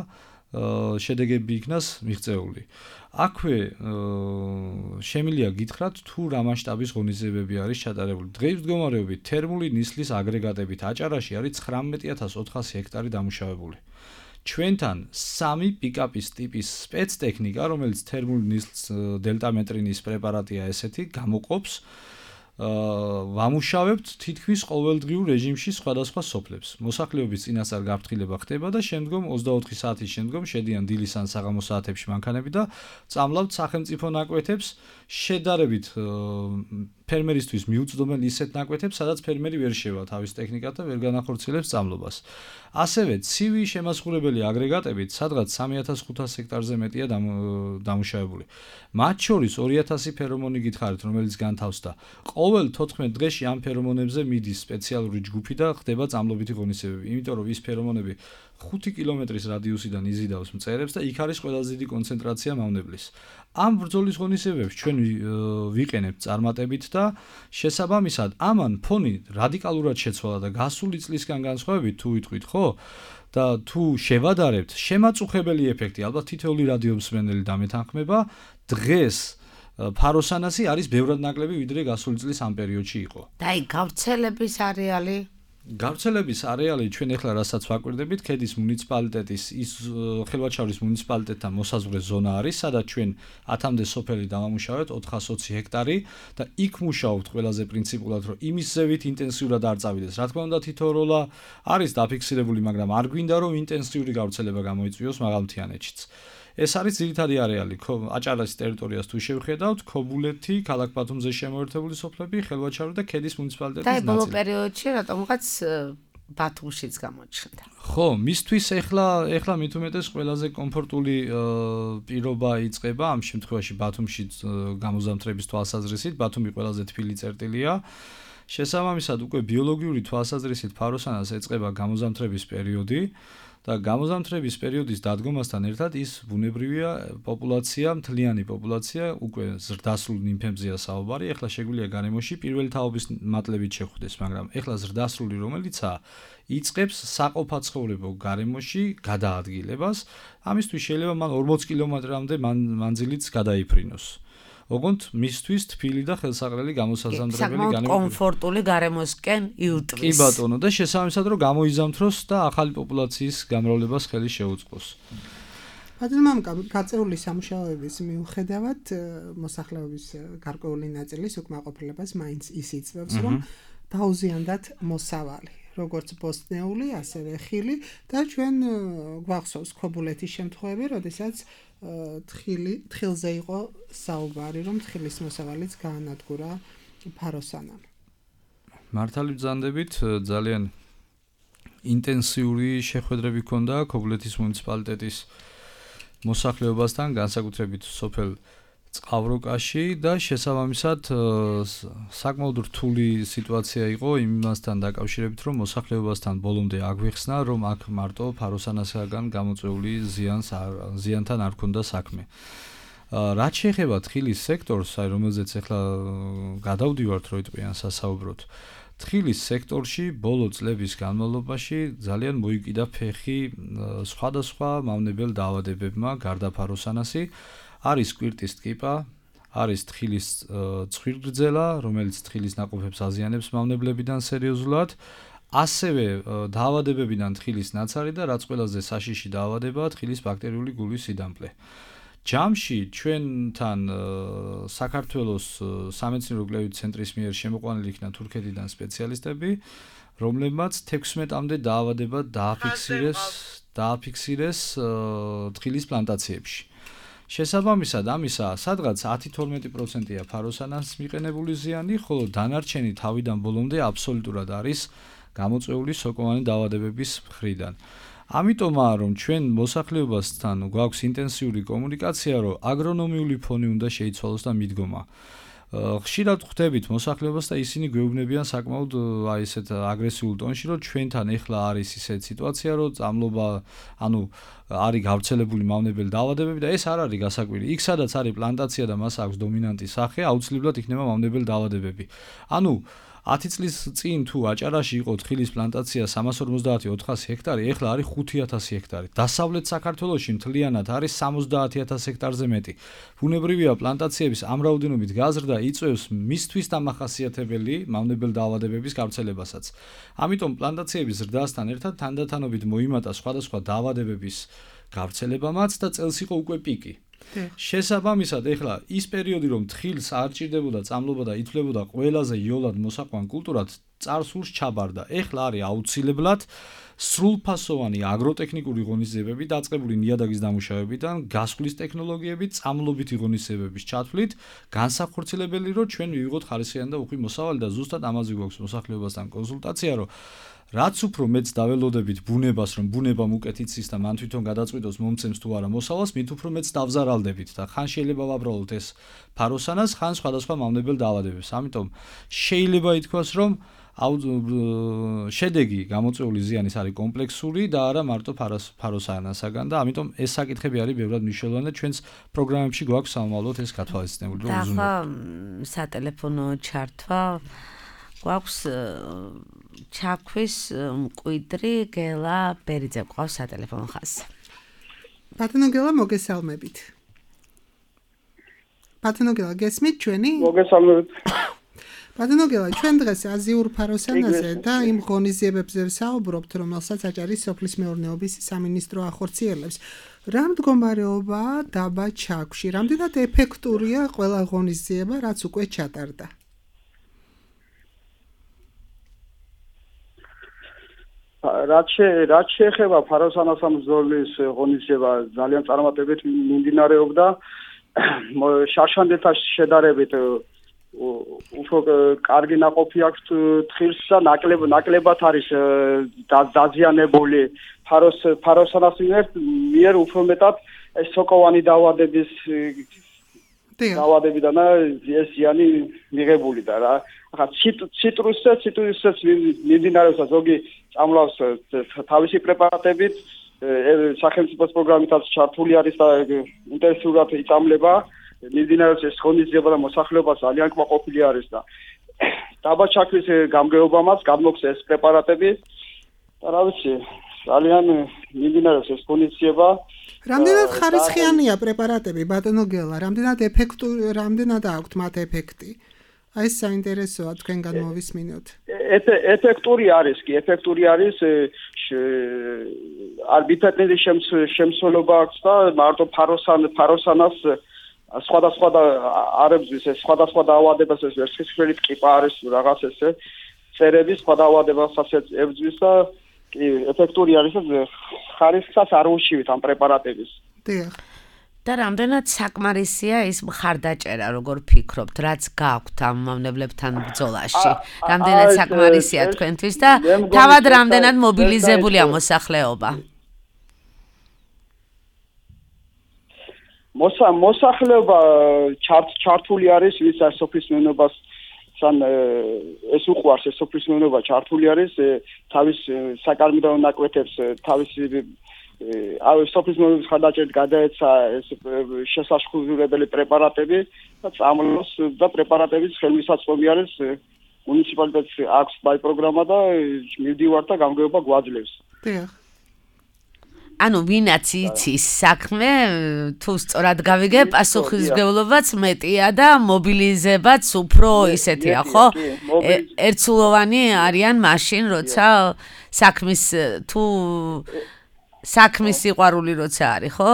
შედეგები იქნას მიღწეული. აქვე შემიძლია გითხრათ თუ რა მასშტაბის ღონისძიებები არის ჩატარებული. დღეს მდგომარეობით თერმული ნისლის აგრეგატებით აჭარაში არის ცხრამეტი ათას ოთხასი ჰექტარი დამუშავებული. ჩვენთან სამი პიკაპის ტიპის სპეცტექნიკა, რომელიც თერმული ნისლს დელტამეტრინის პრეპარატია ესეთი, გამოყოფს ვამუშავებთ თითქმის ყოველდღიურ რეჟიმში სხვადასხვა სოფლებს. მოსახლეობის წინასწარ გაფრთხილება ხდება და შემდგომ ოცდაოთხი საათის შემდგომ შედიან დილის ან საღამოს საათებში მანქანები და წამლავთ სახელმწიფო ნაკვეთებს, შედარებით ფერმერისთვის მიუწვდომენ ისეთ ნაკვეთებს, სადაც ფერმერი ვერ შევა თავის ტექნიკად და ვერ განახორციელებს წამლობას. ასევე ცივი შემასხურებელი აგრეგატებით, სადღაც სამი ათას ხუთას ჰექტარზე მეტია დამუშავებული. მათ შორის ორი ათასი ფერომონი გითხარით, რომელიც განთავსდა. ყოველ თოთხმეტ დღეში ამ ფერომონებზე მიდის სპეციალური ჯგუფი და ხდება წამლობითი ღონისძიებები, იმიტომ რომ ის ფერომონები ხუთი კილომეტრის რადიუსიდან იზიდავს მწერებს და იქ არის ყველაზე დიდი კონცენტრაცია მავნებლის. ამ ბრძოლის ღონისძიებებს ჩვენ ვიყენებთ წარმატებით და შესაბამისად ამან ფონი რადიკალურად შეცვალა და გასული წლისგან განსხვავებით თუ ვიტყვით, ხო? და თუ შევადარებთ, შემაწუხებელი ეფექტი, ალბათ თითოეული რადიომსმენელი დამეთანხმება, დღეს ფაროსანასი არის ბევრად ნაკლები ვიდრე გასული წლის ამ პერიოდში იყო. და აი გავრცელების არეალი გავრცელების არეალი ჩვენ ახლა რასაც ვაკვირდებით, ქედის მუნიციპალიტეტის ის ხელვაჩაურის მუნიციპალიტეტთან მოსაზღვრე ზონა არის, სადაც ჩვენ ათამდე სოფელი დავამუშავეთ ოთხას ოცი ჰექტარი და იქ მუშაობთ ყველაზე პრინციპულად, რომ იმის ზევით ინტენსიურად არ წავიდეს. რა თქმა უნდა, თითო როლა არის დაფიქსირებული, მაგრამ არ გვინდა რომ ინტენსიური გავრცელება გამოიწვიოს მაღალმთიანეთშიც. ეს არის ძირითადი არეალი. აჭარას ტერიტორიას თუ შევხედავთ, ქობულეთი, ქალაქ ბათუმზე შემოერთებული სოფლები, ხელვაჩაური და ქედის მუნიციპალიტეტის ნაწილი. და ბოლო პერიოდში რატომღაც ბათუმშიც გამოჩნდა. ხო, მისთვის ეხლა ეხლა მით უმეტეს ყველაზე კომფორტული პირობა იწყება ამ შემთხვევაში ბათუმში გამოზამთრების თვალსაზრისით. ბათუმი ყველაზე თბილი წერტილია. შესაბამისად უკვე ბიოლოგიური თვალსაზრისით ფაროსანას ეწყება გამოზამთრების პერიოდი და გამოზამთრების პერიოდის დადგომასთან ერთად ის ბუნებრივია პოპულაცია, მთლიანი პოპულაცია უკვე ზრდასრულ ნიმფებზეა საუბარი. ეხლა შეგვიძლია გარემოში პირველი თაობის მატლებით შეხვდეს, მაგრამ ეხლა ზრდასრული რომელიცაა იწყებს საყოფაცხოვრებო გარემოში გადაადგილებას. ამისთვის შეიძლება მან ორმოც კილომეტრამდე მანძილიც გადაიფრინოს. ოღონდ მისთვის თბილი და ხელსაყრელი გამოსაზამთრებელი განვითარება კომფორტული გარემოსკენ იუტყვის. კი ბატონო და შესაბამისად რომ გამოიზამთროს და ახალი პოპულაციის გამრავლებას ხელი შეუწყოს. ბატონო გაწეული სამუშაოების მიუხედავად მოსახლეობის გარკვეული ნაწილის უკმაყოფილებას მაინც ის იწვევს რომ დაუზიანდათ მოსავალი. როგორც ბოსტნეული, ასევე ხილი და ჩვენ გვახსოვს ქობულეთის შემთხვევები, როდესაც თხილი თხილზე იყო საუბარი, რომ თხილის მოსავალიც გაანადგურა ფაროსანამ. მართალი ბრძანდებით ძალიან ინტენსიური შეხვედრები ჰქონდა ქობულეთის მუნიციპალიტეტის მოსახლეობასთან, განსაკუთრებით სოფელ წყავროკაში და შესაბამისად საკმაოდ რთული სიტუაცია იყო იმასთან დაკავშირებით, რომ მოსახლეობასთან ბოლომდე აგვიხსნა, რომ აქ მარტო ფაროსანასგან გამოწვეული ზიანს ზიანთან არ ქონდა საქმე. რაც შეეხება თხილის სექტორს, აი რომელზეც ახლა გადავდივართ როიტყვიან სასაუბროთ, თხილის სექტორში ბოლო წლების განმავლობაში ძალიან მოიკიდა ფეხი სხვადასხვა მავნებელ დაავადებებმა გარდა ფაროსანასი. არის კვირტის ტკიპა, არის თხილის ცხვირგრძელა, რომელიც თხილის ნაყოფებს აზიანებს მავნებლებიდან სერიოზულად, ასევე დაავადებებიდან თხილის ნაცარი და რაც ყველაზე საშიში დაავადებაა თხილის ბაქტერიული გულის სიდამპლე. ჯამში ჩვენთან საქართველოს სამეცნიერო კვლევით ცენტრის მიერ შემოყვანილი იქნა თურქეთიდან სპეციალისტები, რომლებმაც თექვსმეტამდე დაავადება დააფიქსირეს, დააფიქსირეს თხილის პლანტაციებში. შესაბამისად ამისა, სადღაც ათი თორმეტი პროცენტია ფაროსანას მიყენებული ზიანი, ხოლო დანარჩენი თავიდან ბოლომდე აბსოლუტურად არის გამოწვეული სოკოვანი დაავადებების მხრიდან. ამიტომაა, რომ ჩვენ მოსახლეობასთან გვაქვს ინტენსიური კომუნიკაცია, რომ აგრონომიული ფონი უნდა შეიცვალოს და მიდგომა. ხშირად ხვდებით მოსახლეობას და ისინი გვეუბნებიან საკმაოდ აი ესეთ აგრესიულ ტონში, რომ ჩვენთან ეხლა არის ისეთ სიტუაცია, რომ წამლობა, ანუ არის გავრცელებული მავნებელი დაავადებები და ეს არ არის გასაკვირი. იქ სადაც არის პლანტაცია და მას აქვს დომინანტი სახე, აუცილებლად იქნება მავნებელი დაავადებები. ანუ ათი წლის წინ თუ აჭარაში იყო თხილის პლანტაცია სამას ორმოცდაათი ოთხასი ჰექტარი, ეხლა არის ხუთი ათასი ჰექტარი. დასავლეთ საქართველოში მთლიანად არის სამოცდაათი ათასი ჰექტარზე მეტი. ბუნებრივია პლანტაციების ამ რაოდენობით გაზრდა იწვევს მისთვის დამახასიათებელი მავნებელ დაავადებების გავრცელებასაც. ამიტომ პლანტაციების ზრდასთან ერთად თანდათანობით მოიმატა სხვადასხვა დაავადებების გავრცელებამაც და წელს იყო უკვე პიკი. შესაბამისად, ეხლა ის პერიოდი, რომ თხილს არ ჭირდებოდა წამლობა და ითვლებოდა ყველაზე იოლად მოსაყვან კულტურად, წარსულს ჩაბარდა. ეხლა არის აუცილებლად სრულფასოვანი აგროტექნიკური ღონისძიებები დაწყებული ნიადაგის დამუშავებიდან, გასვლის ტექნოლოგიებით, წამლობითი ღონისძიებების ჩათვლით, განსახორციელებელი, რომ ჩვენ მივიღოთ ხარისხიანი და უხვი მოსავალი და ზუსტად ამაზე გვაქვს მოსახლეობასთან კონსულტაცია, რომ რაც უფრო მეც დაველოდებით ბუნებას, რომ ბუნებამ უკეთ იცის და მან თვითონ გადაწყვიტოს მომცემს თუ არა მოსავალს, მით უფრო მეც დავზარალდებით და ხან შეიძლება ვაბრალოთ ეს ფაროსანას, ხან სხვადასხვა მავნებელ დაავადებებს. ამიტომ შეიძლება ითქვას, რომ შედეგი გამოწვეული ზიანის არის კომპლექსური და არა მარტო ფაროსანასაგან და ამიტომ ეს საკითხები არის ბევრად მნიშვნელოვანი და ჩვენს პროგრამებში გვაქვს სამომავლოდ ეს გათვალისწინებული. და ახლა სატელეფონო ჩართვა გვაქვს ჩაქვის მკვიდრი გელა ბერიძე გვყავს სატელეფონო ხაზზე. ბატონო გელა, მოგესალმებით. ბატონო გელა, გესმით ჩვენი? მოგესალმებით. ბატონო გელა, ჩვენ დღეს აზიურ ფაროსანაზე და იმ ღონისძიებებზე ვსაუბრობთ, რომელსაც აჭარის სოფლის მეურნეობის სამინისტრო ახორციელებს. რა მდგომარეობაა დაბა ჩაქვში? რამდენად ეფექტურია ყველა ღონისძიება, რაც უკვე ჩატარდა? რაც რაც შეეხება ფაროსანასამ ბრძოლის ღონისძიება ძალიან წარმატებით მიმდინარეობდა. შარშანდელთან შედარებით უფრო კარგი ნაყოფი აქვს თხილს და ნაკლებ ნაკლებად არის დაზიანებული ფაროს ფაროსანას მიერ უფრო მეტად ეს სოკოვანი დაავადების დაავადებიდან ეს ზიანი მიღებული და რა. ახლა ციტრუსზე, ციტრუსზეც მიმდინარეობს ზოგი წამლავს თავისი პრეპარატებით, სახელმწიფოს პროგრამითაც ჩართული არის და ინტენსიურად იწამლება. მიმდინარეობს ეს ღონისძიება და მოსახლეობა ძალიან კმაყოფილი არის და დაბა ჩაქვის გამგეობამაც გამოქვს ეს პრეპარატები და რა ვიცი, ძალიან მიმდინარეობს ეს ღონისძიება. რამდენად ხარისხიანია პრეპარატები, ბატონო გელა, რამდენად ეფექტური, რამდენად აქვთ მათ ეფექტი? აი ეს საინტერესოა თქვენგან მოვისმინოთ. ეფექტური არის კი, ეფექტური არის არბიტრატული შემცველობა აქვს და მარტო ფაროსან ფაროსანას სხვადასხვა არებზის ეს სხვადასხვა დაავადებას ეს ვერცხლისფერი ტკიპა არის რაღაც ესე წერები სხვა დაავადებასაც ებრძვის და კი ეფექტური არის და ხარისხსაც არ უშივით ამ პრეპარატების. დიახ. და რამდენად საკმარისია ის მხარდაჭერა, როგორ ფიქრობთ, რაც გაქვთ ამ მავნებლებთან ბრძოლაში? რამდენად საკმარისია თქვენთვის და თავად რამდენად მობილიზებულია მოსახლეობა? მოსახლეობა ჩართული არის, ვის არ სოფლის მეურნეობას სან ეს უყვარს ეს სოფლის მეურნეობა ჩართული არის თავის საკარმიდაო ნაკვეთებს თავის აი სოფლის მეურნეობის ხარდაჭერით გადაეცა ეს შესაშხურებელი პრეპარატები და წამლოს და პრეპარატების ხელმისაწვდომი არის მუნიციპალიტეტს აქვს ბაი პროგრამა და მივდივარ და გამგეობა გვაძლევს. დიახ. ანუ ვინაც იცის საქმე, თუ სწორად გავიგე, პასუხისმგებლობაც მეტია და მობილიზებაც უფრო ისეთია, ხო? ერთსულოვანი არიან მაშინ, როცა საქმის თუ საქმის სიყვარული როცა არის, ხო?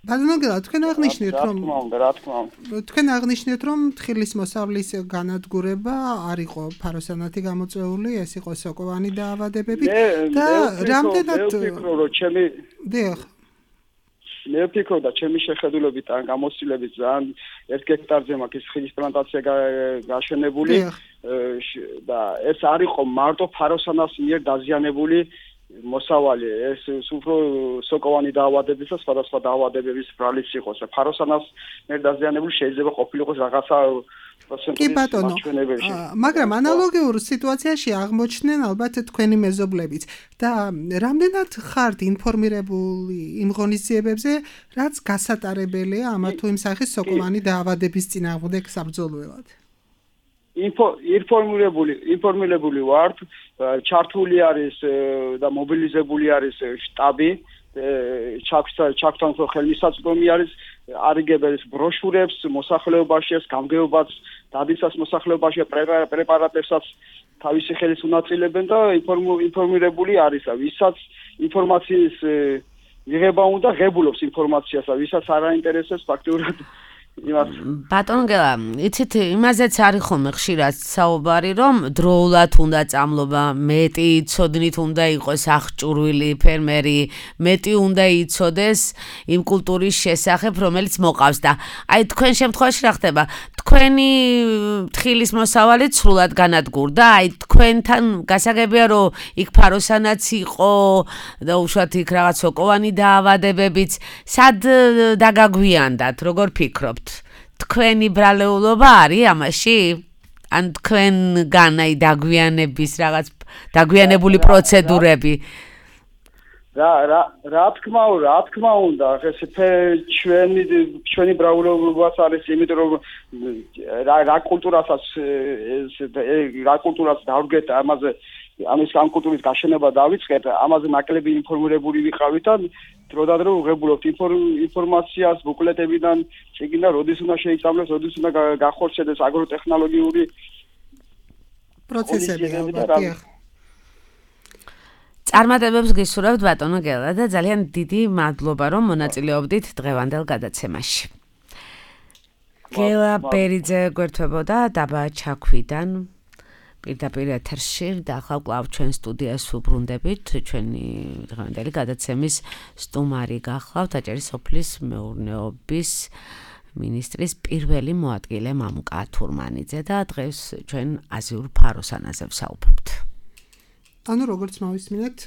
ბატონო გელა, თქვენ აღნიშნეთ, რომ რა თქმა უნდა, თქვენ აღნიშნეთ, რომ თხილის მოსავლის განადგურება არ იყო ფაროსანათი გამოწვეული, ეს იყო სოკოვანი დაავადებები და რამდენად მე ვფიქრობ, რომ ჩემი დიახ. მე ვფიქრობ და ჩემი შეხედულებით ან გამოცდილებით ძალიან ერთ გექტარზე მაქვს ხილის პლანტაცია გაშენებული და ეს არ იყო მარტო ფაროსანას მიერ დაზიანებული მოსავალი ეს უფრო სოკოვანი დაავადების და სხვადასხვა დაავადებების ბრალიც იყოს. ფაროსანას მიერ დაზიანებული შეიძლება ყოფილიყოს რაღაცა კი ბატონო, მაგრამ ანალოგიურ სიტუაციაში აღმოჩნდნენ ალბათ თქვენი მეზობლებიც და რამდენად ხართ ინფორმირებული იმ ღონისძიებებზე, რაც გასატარებელია ამა თუ იმ სახის სოკოვანი დაავადების წინააღმდეგ საბრძოლველად? ინფორმირებული ინფორმირებული ვართ, ჩართული არის და მობილიზებული არის შტაბი, ჩაქთან ხელმისაწვდომი არის, არიგებენ ბროშურებს მოსახლეობაში, გამგეობას დადისას მოსახლეობაში პრეპარატებსაც თავისი ხელით უნაწილებენ და ინფორმირებული არის, ვისაც ინფორმაციის მიღება უნდა ღებულობს ინფორმაციას და ვისაც არ აინტერესებს ფაქტიურად ბატონო გელა, იცით, იმაზეც არის ხოლმე ხშირად საუბარი, რომ დროულად უნდა წამლობა, მეტი იცოდნით უნდა იყოს აღჭურვილი ფერმერი, მეტი უნდა იცოდეს იმ კულტურის შესახებ, რომელიც მოყავს და აი თქვენ შემთხვევაში რა ხდება? თქვენი თხილის მოსავალი სრულად განადგურდა, აი თქვენთან გასაგებია, რომ იქ ფაროსანაც იყო და უშუალოდ იქ რაღაც სოკოვანი დაავადებებიც, სად დაგაგვიანდათ, როგორ ფიქრობთ? თქვენი ბრალეულობა არის ამაში? ან თქვენგან აი დაგვიანების რაღაც დაგვიანებული პროცედურები? რა რა რა თქმა უნდა, რა თქმა უნდა, ეს ჩვენი ჩვენი ბრალეულობაც არის, იმიტომ რომ რა რა კულტურასაც ეს რა კულტურას დავდგეთ ამაზე ამის ამ კულტურის გაშენება დავიწყეთ, ამაზე ნაკლები ინფორმირებული ვიყავით და დროდადრო ვღებულობთ ინფორმაციას ბუკლეტებიდან, შეგინდა როდის უნდა შეიწამლოს, როდის უნდა გახორციელდეს აგროტექნოლოგიური პროცესები ალბათ. წარმატებებს გისურვებთ ბატონო გელა და ძალიან დიდი მადლობა რომ მონაწილეობდით დღევანდელ გადაცემაში. გელა ბერიძე გვერდებოდა დაბა ჩაქვიდან პირდაპირ ეთერში და ახლა კვლავ ჩვენ სტუდიას ვუბრუნდებით, ჩვენი დღევანდელი გადაცემის სტუმარი გახლავთ აჭარის სოფლის მეურნეობის მინისტრის პირველი მოადგილე მამუკა თურმანიძე და დღეს ჩვენ აზიურ ფაროსანაზე ვსაუბრობთ. ანუ როგორც მოვისმინეთ,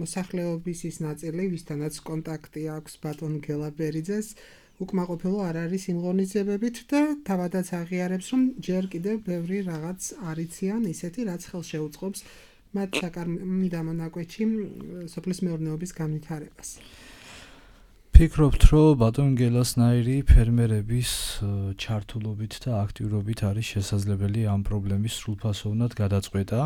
მოსახლეობის ის ნაწილი, ვისთანაც კონტაქტი აქვს ბატონ გელა ბერიძეს, უკმაყოფილო არ არის იმ ღონისძიებებით და თავადაც აღიარებს, რომ ჯერ კიდევ ბევრი რაღაც არიციან ისეთი, რაც ხელს შეუწყობს მათ საკარმი დამონაკვეთში სოფლის მეურნეობის განვითარებას. ფიქრობთ, რომ ბატონ გელასნაირი ფერმერების ჩართულობით და აქტიურობით არის შესაძლებელი ამ პრობლემის სრულფასოვნად გადაწყვეტა.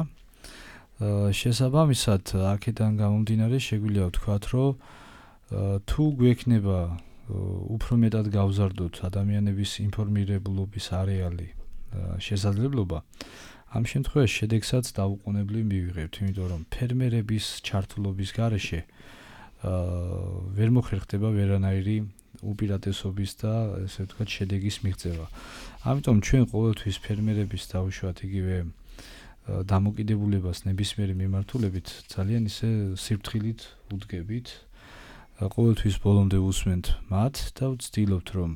შესაბამისად, აქედან გამომდინარე შეგვიძლია ვთქვათ, რომ თუ გვექნება უფრო მეტად გავზარდოთ ადამიანების ინფორმირებულობის არეალი შესაძლებლობა, ამ შემთხვევაში შედეგსაც დაუყოვნებლივ მივიღებთ, იმიტომ რომ ფერმერების ჩართულობის გარეშე ვერ მოხერხდება ვერანაირი უპირატესობის და ესე ვთქვათ შედეგის მიღწევა. ამიტომ ჩვენ ყოველთვის ფერმერების დავუშვათ იგივე დამოკიდებულებას ნებისმიერი მიმართულებით ძალიან ისე სიფრთხილით უდგებით. ყოველთვის ბოლომდე უსმენთ მათ და ვცდილობთ რომ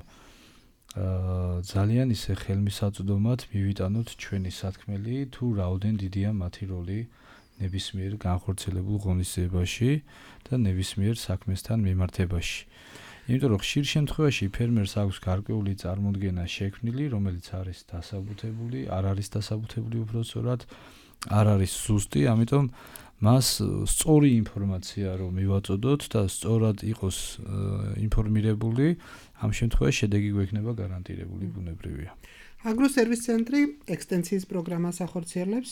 ძალიან ისე ხელმისაწვდომად მივიტანოთ ჩვენი სათქმელი თუ რაოდენ დიდია მათი როლი ნებისმიერ განხორციელებულ ღონისძიებაში და ნებისმიერ საქმესთან მიმართებაში. იმიტომ რომ ხშირ შემთხვევაში ფერმერს აქვს გარკვეული წარმოდგენა შექმნილი, რომელიც არის დასაბუთებული, არ არის დასაბუთებული უბრალოდ არ არის ზუსტი, ამიტომ მას სწორი ინფორმაცია რომ მივაწოდოთ და სწორად იყოს ინფორმირებული, ამ შემთხვევაში შედეგი გვექნება გარანტირებული ბუნებრივია. აგროსერვის ცენტრი ექსტენსიის პროგრამას ახორციელებს,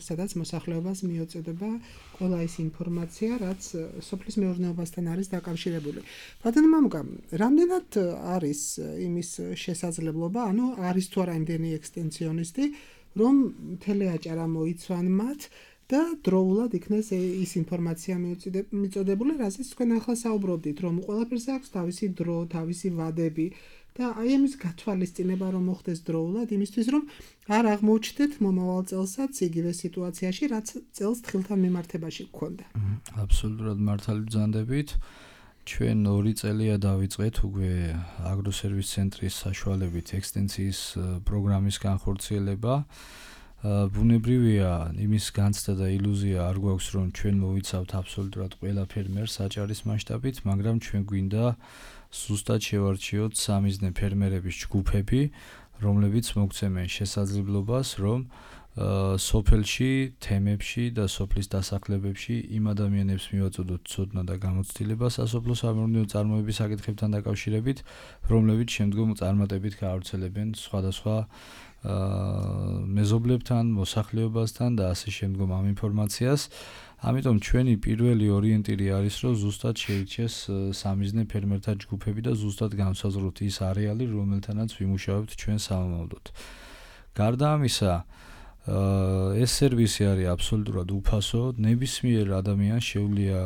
სადაც მოსახლეობას მიეწოდება ყველა ის ინფორმაცია, რაც სოფლის მეურნეობასთან არის დაკავშირებული. ბატონო მამუკა, რამდენად არის იმის შესაძლებლობა, ანუ არის თუ არა იმდენი ექსტენსიონისტი, რომ თელეაჭარა მოიცვან მათ და დროულად იქნეს ის ინფორმაცია მიწოდებული, რაზეც თქვენ ახლა საუბრობდით, რომ ყველაფერს აქვს თავისი დრო, თავისი ვადები და აი ამის გათვალისწინება რომ მოხდეს დროულად, იმისთვის რომ არ აღმოჩნდეთ მომავალ წელსაც იგივე სიტუაციაში, რაც წელს თხილთან მიმართებაში გქონდა. აბსოლუტურად მართალი ბრძანდებით. ჩვენ ორი წელია დავიწყეთ უკვე აგროსერვის ცენტრის საშუალებით ექსტენსიის პროგრამის განხორციელება. ბუნებრივია იმის განცდა და ილუზია არ გვაქვს რომ ჩვენ მოვიცავთ აბსოლუტურად ყველა ფერმერს აჭარის მასშტაბით, მაგრამ ჩვენ გვინდა ზუსტად შევარჩიოთ სამიზნე ფერმერების ჯგუფები, რომლებიც მოგცემენ შესაძლებლობას, რომ სოფელში, თემებში და სოფლის დასახლებებში იმ ადამიანებს მივაწოდოთ ცოდნა და გამოცდილება სასოფლო სამეურნეო წარმოების საკითხებთან დაკავშირებით, რომლებიც შემდგომ წარმატებით გაავრცელებენ სხვადასხვა მეზობლებთან, მოსახლეობასთან და ასე შემდგომ ამ ინფორმაციას. ამიტომ ჩვენი პირველი ორიენტირი არის, რომ ზუსტად შეირჩეს სამიზნე ფერმერთა ჯგუფები და ზუსტად განსაზღვროთ ის არეალი, რომელთანაც ვიმუშავებთ ჩვენ სამომავლოდ. გარდა ამისა, ეს სერვისი არის აბსოლუტურად უფასო, ნებისმიერ ადამიანს შეუძლია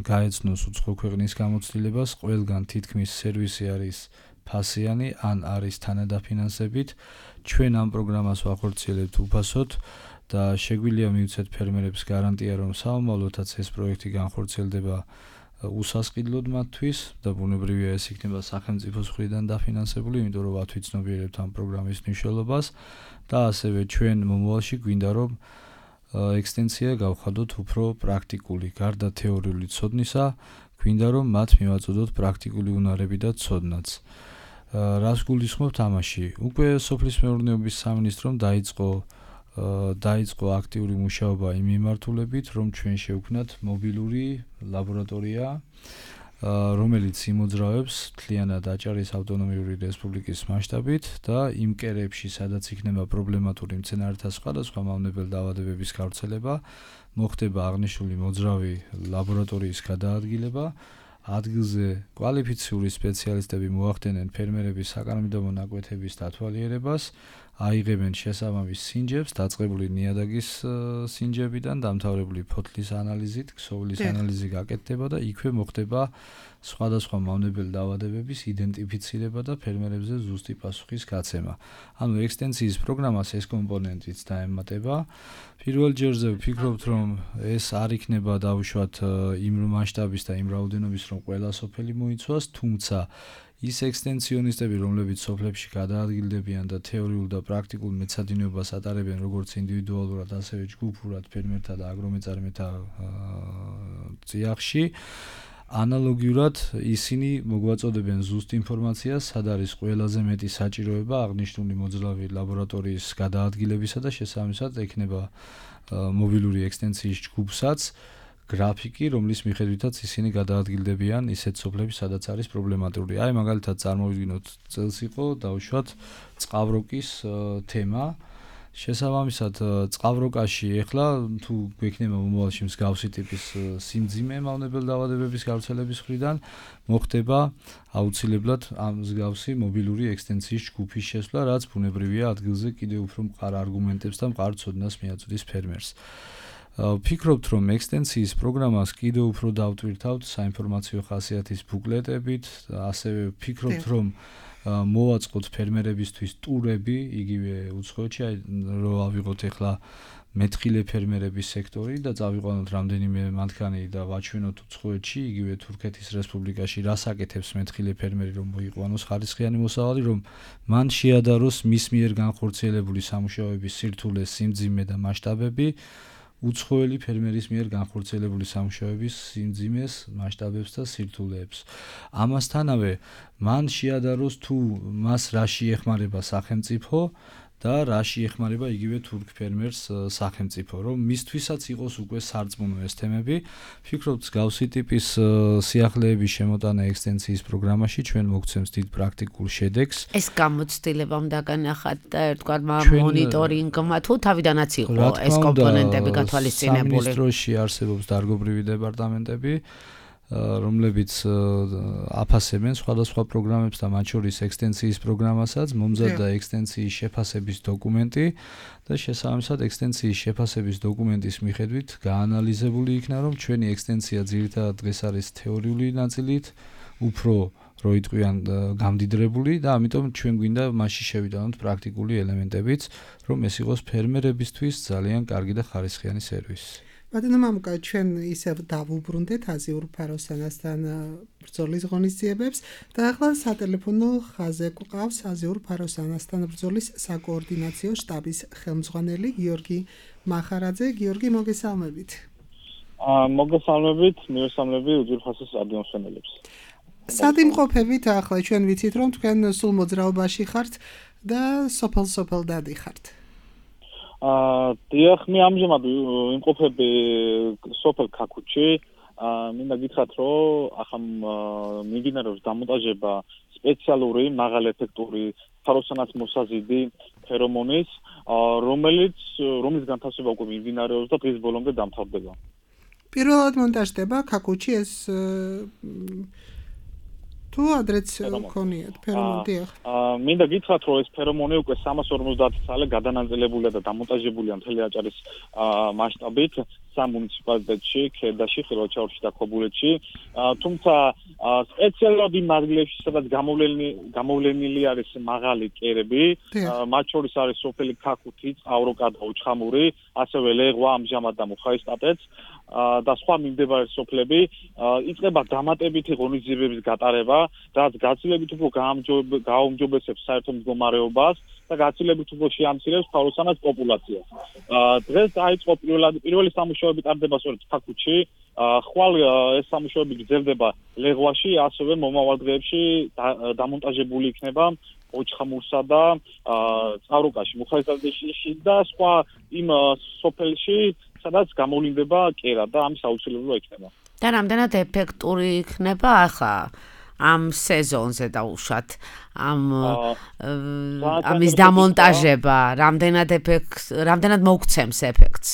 გაეცნოს უცხო ქვეყნის გამოცდილებას, ყველგან თითქმის სერვისი არის ფასიანი ან არის თანადაფინანსებით. ჩვენ ამ პროგრამას ვახორციელებთ უფასოდ და შეგვიძლია მივცეთ ფერმერებს გარანტია, რომ საომავლოთაც ეს პროექტი განხორციელდება უსასყიდლოდ მათთვის და ბუნებრივია ეს იქნება სახელმწიფოს მხრიდან დაფინანსებული, იმიტომ რომ ვათვიცნობიერებთ ამ პროგრამის მნიშვნელობას და ასევე ჩვენ მომავალში გვინდა რომ ექსტენსია გავხადოთ უფრო პრაქტიკული, გარდა თეორიული ცოდნისა, გვინდა რომ მათ მივაწოდოთ პრაქტიკული უნარები და ცოდნაც. რას გულისხმობთ ამაში? უკვე სოფლის მეურნეობის სამინისტრომ დაიწყო დაიწყო აქტიური მუშაობა იმ მიმართულებით, რომ ჩვენ შევქმნათ მობილური ლაბორატორია, რომელიც იმოძრავებს მთლიანად აჭარის ავტონომიური რესპუბლიკის მასშტაბით და იმ კერებში, სადაც იქნება პრობლემატური მცენარეთა სხვადასხვა მავნებელ დაავადებების გავრცელება, მოხდება აღნიშნული მოძრავი ლაბორატორიის გადაადგილება. ადგილზე კვალიფიციური სპეციალისტები მოახდენენ ფერმერების საკარმიდამო ნაკვეთების დათვალიერებას, აიღებენ შესაბამის სინჯებს, დაწყებული ნიადაგის სინჯებიდან დამთავრებული ფოთლის ანალიზით, ქსოვილის ანალიზი გაკეთდება და იქვე მოხდება სხვადასხვა მავნებელ დაავადებების იდენტიფიცირება და ფერმერებზე ზუსტი პასუხის გაცემა. ანუ ექსტენსიის პროგრამას ეს კომპონენტიც დაემატება. პირველ ჯერზე ვფიქრობთ, რომ ეს არ იქნება დაუშვათ იმ მასშტაბის და იმ რაოდენობის, რომ ყველა სოფელი მოიცვას, თუმცა ის ექსტენსიონისტები, რომლებიც სოფლებში გადაადგილდებიან და თეორიულ და პრაქტიკულ მეცადინეობას ატარებენ როგორც ინდივიდუალურად, ასევე ჯგუფურად ფერმერთა და აგრომეწარმეთა წიაღში, ანალოგიურად ისინი მოგვაწოდებენ ზუსტ ინფორმაციას, სად არის ყველაზე მეტი საჭიროება აღნიშნული მოძრავი ლაბორატორიის გადაადგილებისა და შესაბამისად ექნება მობილური ექსტენციის ჯგუფსაც გრაფიკი, რომლის მიხედვითაც ისინი გადაადგილდებიან ისეთ სოფლებში, სადაც არის პრობლემატური. აი, მაგალითად, წარმოვიდგინოთ, წელს იყო დავუშვათ წყავროკის თემა. შესაბამისად, წყავროკაში ეხლა თუ გვექნება მომავალში მსგავსი ტიპის სიმძიმე მავნებელ დაავადებების გავრცელების მხრიდან, მოხდება აუცილებლად ამ მსგავსი მობილური ექსტენციის ჯგუფის შესვლა, რაც ბუნებრივია ადგილზე კიდევ უფრო მყარ არგუმენტებს და მყარ ცოდნას მიაწვდის ფერმერს. ვფიქრობთ, რომ ექსტენციის პროგრამას კიდევ უფრო დავტვირთავთ საინფორმაციო ხასიათის ბუკლეტებით, ასევე ვფიქრობთ, რომ მოვაწყოთ ფერმერებისთვის ტურები, იგივე უცხოეთში, რომ ავიღოთ ახლა მეთხილე ფერმერების სექტორი და წავიყვანოთ რამდენიმე მათგანი და ვაჩვენოთ უცხოეთში, იგივე თურქეთის რესპუბლიკაში, რას აკეთებს მეთხილე ფერმერი, რომ მოიყვანოს ხარისხიანი მოსავალი, რომ მან შეადაროს მის მიერ განხორციელებული სამუშაოების სირთულე, სიმძიმე და მასშტაბები უცხოელი ფერმერის მიერ განხორციელებული სამუშაოების სიმძიმეს, მასშტაბებს და სირთულეებს. ამასთანავე, მან შეადაროს თუ მას რაში ეხმარება სახელმწიფო და რაში ეხმარება იგივე თურქ ფერმერს სახელმწიფო, რომ მისთვისაც იყოს უკვე სარწმუნო ეს თემები. ვფიქრობთ, მსგავსი ტიპის სიახლეების შემოტანა ექსტენციის პროგრამაში ჩვენ მოგცემს დიდ პრაქტიკულ შედეგს. ეს გამოცდილება უნდა განახათ და ერთგვარ მონიტორინგმა თუ თავიდანაც იყო ეს კომპონენტები გათვალისწინებული. სამინისტროში არსებობს დარგობრივი დეპარტამენტები, რომლებიც აფასებენ სხვადასხვა პროგრამებს და მათ შორის ექსტენციის პროგრამასაც, მომზადდა ექსტენციის შეფასების დოკუმენტი და შესაბამისად ექსტენციის შეფასების დოკუმენტის მიხედვით გაანალიზებული იქნა, რომ ჩვენი ექსტენცია ძირითადად დღეს არის თეორიული ნაწილით, უფრო რო იტყვიან გამდიდრებული და ამიტომ ჩვენ გვინდა მასში შევიტანოთ პრაქტიკული ელემენტებიც, რომ ეს იყოს ფერმერებისთვის ძალიან კარგი და ხარისხიანი სერვისი. ბატონო მამუკა, ჩვენ ისევ დავუბრუნდეთ აზიურ ფაროსანასთან ბრძოლის ღონისძიებებს და ახლა სატელეფონო ხაზზე გვყავს აზიურ ფაროსანასთან ბრძოლის საკოორდინაციო შტაბის ხელმძღვანელი გიორგი მახარაძე. გიორგი, მოგესალმებით. აა მოგესალმებით, მიესალმები უძვირ ხასის რადიომსმენელებს. სად იმყოფებით ახლა? ჩვენ ვიცით, რომ თქვენ სულ მოძრაობაში ხართ და სოფელ-სოფელ დადიხართ. აა დიახ, მე ამჟამად იმყოფები სოფელ ქაქუჩში. აა მინდა გითხრათ, რომ ახლა მიმდინარეობს დამონტაჟება სპეციალური მაღალ ეფექტური ფაროსანას მოსაზიდი ფერომონის, რომელიც რომლის განთავსება უკვე მიმდინარეობს და დღის ბოლომდე დამთავრდება. პირველად მონტაჟდება ქაქუჩში ეს თუ ადრეც გქონიათ ფერომონი? აა მინდა გითხრათ, რომ ეს ფერომონი უკვე სამას ორმოცდაათი წელი გადანაწილებულია და დამონტაჟებულია მთელი აჭარის მასშტაბით სამ მუნიციპალიტეტში, ქედაში, ხილვაჩაურში და ქობულეთში. თუმცა სპეციალურად იმ ადგილებში, სადაც გამოვლენილი არის მაღალი კერები, მათ შორის არის სოფელი ქაქუთი, წყავროკა და უჩხამური, ასევე ლეღვა ამჟამად და მუხაისტატეც და სხვა მიმდებარე სოფლები, იწყება დამატებითი ღონისძიებების გატარება, რაც გაცილებით უფრო გააუმჯობესებს საერთო მდგომარეობას და გაცილებით უფრო შეამცირებს ფაროსანას პოპულაციას. დღეს დაიწყო პირველი სამუშაოები ტარდება სწორედ ქაქუთში, ხვალ ეს სამუშაოები გრძელდება ლეღვაში, ასევე მომავალ დღეებში დამონტაჟებული იქნება ოჩხამურსა და წყავროკაში, მუხაისტატეში და სხვა იმ სოფელში, სადაც გამოვლინდება კერა და ამის აუცილებლობა იქნება. და რამდენად ეფექტური იქნება ახლა ამ სეზონზე დაუშვათ ამ ამის დამონტაჟება, რამდენად ეფექტ რამდენად მოგცემს ეფექტს?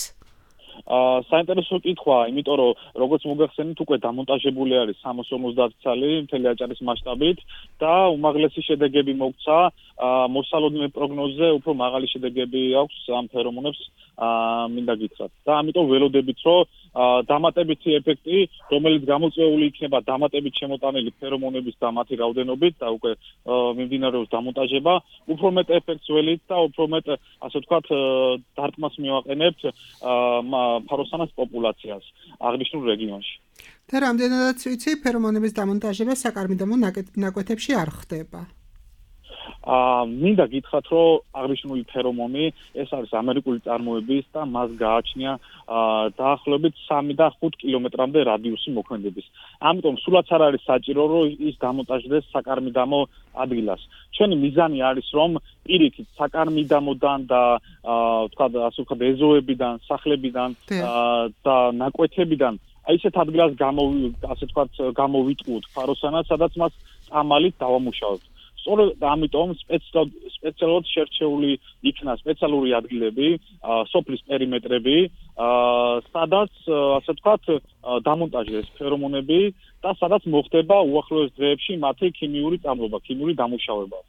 აა საინტერესო კითხვა, იმიტომ რომ როგორც მოგახსენეთ, უკვე დამონტაჟებული არის სამას ორმოცდაათი წელი მთელი აჭარის მასშტაბით და უმაღლესი შედეგები მოგცა. მოსალოდნელ პროგნოზზე უფრო მაღალი შედეგები აქვს ამ ფერომონებს, მინდა გითხრათ. და ამიტომ ველოდებით, რომ დამატებითი ეფექტი, რომელიც გამოწვეული იქნება დამატებით შემოტანილი ფერომონების და მათი რაოდენობით და უკვე მიმდინარეობს დამონტაჟება, უფრო მეტ ეფექტს ველით და უფრო მეტ, ასე ვთქვათ, დარტყმას მივაყენებთ ფაროსანას პოპულაციას აღნიშნულ რეგიონში. და რამდენადაც ვიცი, ფერომონების დამონტაჟება საკარმიდამო ნაკვეთებში არ ხდება. აა მინდა გითხრათ, რომ აღნიშნული ფერომონი ეს არის ამერიკული წარმოების და მას გააჩნია აა დაახლოებით სამი და ხუთი კილომეტრამდე რადიუსი მოქმედების. ამიტომ სულაც არ არის საჭირო, რომ ის დამონტაჟდეს საკარმიდამო ადგილას. ჩვენი მიზანი არის, რომ პირიქით საკარმიდამოდან და აა თქვა ასე ვთქვათ ეზოებიდან, სახლებიდან და ნაკვეთებიდან აი ესეთ ადგილას გამო ასე ვთქვათ გამოვიტყუოთ ფაროსანად, სადაც მას წამალით დავამუშავებთ. სწორედ ამიტომ სპეციალურად შერჩეული იქნა სპეციალური ადგილები, სოფლის პერიმეტრები, სადაც ასე ვთქვათ დამონტაჟდეს ფერომონები და სადაც მოხდება უახლოეს დღეებში მათი ქიმიური წამლობა, ქიმიური დამუშავება.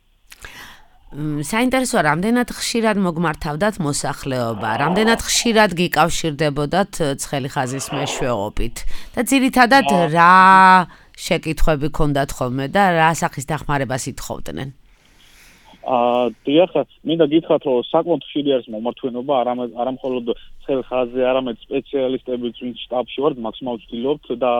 საინტერესოა, რამდენად ხშირად მოგმართავდათ მოსახლეობა, რამდენად ხშირად გიკავშირდებოდათ ცხელი ხაზის მეშვეობით და ძირითადად რა შეკითხვები ქონდათ ხოლმე და რა სახის დახმარებას ითხოვდნენ? აა დიახ, მინდა გითხრათ, რომ საკმაოდ ხშირი არის მომართვენობა, არა მხოლოდ ცხელ ხაზზე, არამედ სპეციალისტები, ვინც შტაბში ვართ, მაქსიმალურად ვცდილობთ და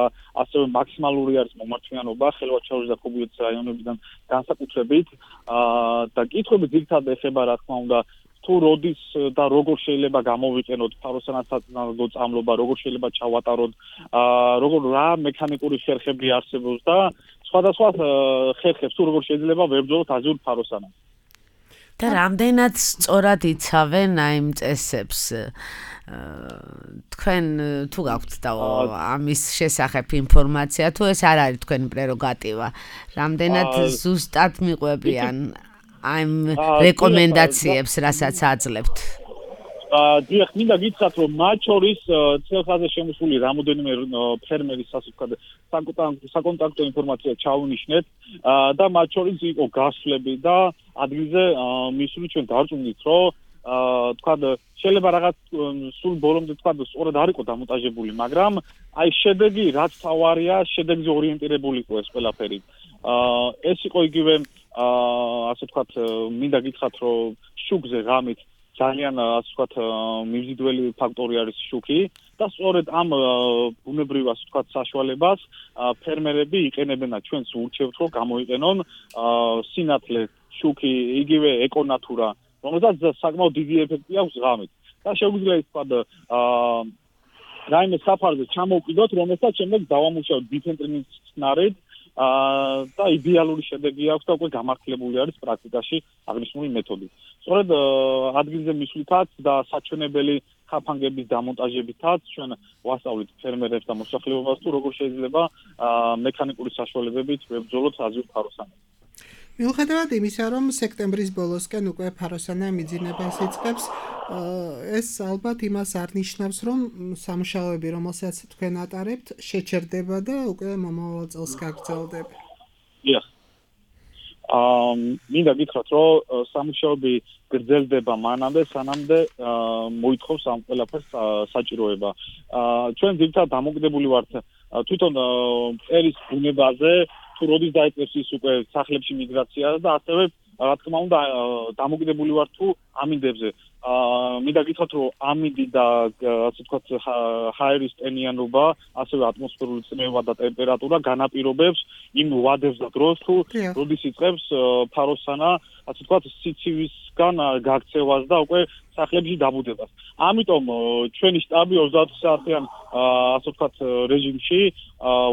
ასევე მაქსიმალური არის მომართვენობა ხელვაჩაურის და ხობიეთის რაიონებიდან განსაკუთრებით. აა და კითხვები ძირითადად ეხება, რა თქმა უნდა, თუ როდის და როგორ შეიძლება გამოვიყენოთ ფაროსანათსაწინააღმდეგო წამლობა, როგორ შეიძლება ჩავატაროთ, აა როგორ რა მექანიკური ხერხები არსებობს და სხვადასხვა ხერხებს თუ როგორ შეიძლება ვებრძოლოთ აზიურ ფაროსანას. და რამდენად სწორად იცავენ აი იმ წესებს? თქვენ თუ გაქვთ და ამის შესახებ ინფორმაცია, თუ ეს არ არის თქვენი პრეროგატივა, რამდენად ზუსტად მიყვებიან აი იმ რეკომენდაციებს, რასაც აძლევთ? დიახ, მინდა გითხრათ, რომ მათ შორის ცხელ ხაზზე შემოსული რამოდენიმე ფერმერის ასე ვთქვათ საკონტაქტო ინფორმაცია ჩავუნიშნეთ და მათ შორის იყო გასვლები და ადგილზე მისული ჩვენ დარწმუნდით, რომ თქვათ შეიძლება რაღაც სულ ბოლომდე თქვათ სწორად არ იყო დამონტაჟებული, მაგრამ აი შედეგი რაც თავარია, შედეგზე ორიენტირებული იყო ეს ყველაფერი. ეს იყო იგივე ასე ვთქვათ, მინდა გითხრათ, რომ შუქზე ღამით ძალიან ასე ვთქვათ მიმზიდველი ფაქტორი არის შუქი და სწორედ ამ ბუნებრივ ასე ვთქვათ საშუალებას ფერმერები იყენებენ და ჩვენს ურჩევთ, რომ გამოიყენონ სინათლე, შუქი, იგივე ეკონატურა, რომელსაც საკმაოდ დიდი ეფექტი აქვს ღამით. და შეგვიძლია ითქვათ რაიმე საფარზე ჩამოვყიდოთ, რომელსაც შემდეგ დავამუშავოთ ბიფენტრინის ხსნარით და იდეალური შედეგი აქვს და უკვე გამართლებული არის პრაქტიკაში აღნიშნული მეთოდი. სწორედ ადგილზე მისვლითაც და საჩვენებელი ხაფანგების დამონტაჟებითაც ჩვენ ვასწავლით ფერმერებს და მოსახლეობას თუ როგორ შეიძლება მექანიკური საშუალებებით ვებრძოლოთ აზიურ ფაროსანას. მიუხედავად იმისა, რომ სექტემბრის ბოლოსკენ უკვე ფაროსანა მიძინებას იწყებს, ეს ალბათ იმას არ ნიშნავს, რომ სამუშაოები, რომელსაც თქვენ ატარებთ, შეჩერდება და უკვე მომავალ წელს გაგრძელდება. დიახ. აა მინდა გითხრათ, რომ სამუშაოები გრძელდება მანამდე, სანამდე მოითხოვს ამ ყველაფერს საჭიროება. აა ჩვენ ძირითადად დამოკიდებული ვართ თვითონ ერის ბუნებაზე, თუ როდის დაიწყებს ის უკვე სახლებში მიგრაცია და ასევე რა თქმა უნდა დამოკიდებული ვარ თუ ამინდებზე. აა მინდა გითხრათ, რომ ამინდი და ასე ვთქვათ ჰაერის ტენიანობა, ასევე ატმოსფერული წნევა და ტემპერატურა განაპირობებს იმ ვადებს და დროს თუ როდის იწყებს ფაროსანა, ასე ვთქვათ სიცივისგან გაქცევას და უკვე სახლებში დაბუდებას. ამიტომ ჩვენი შტაბი ოცდაოთხ საათიან ასე ვთქვათ რეჟიმში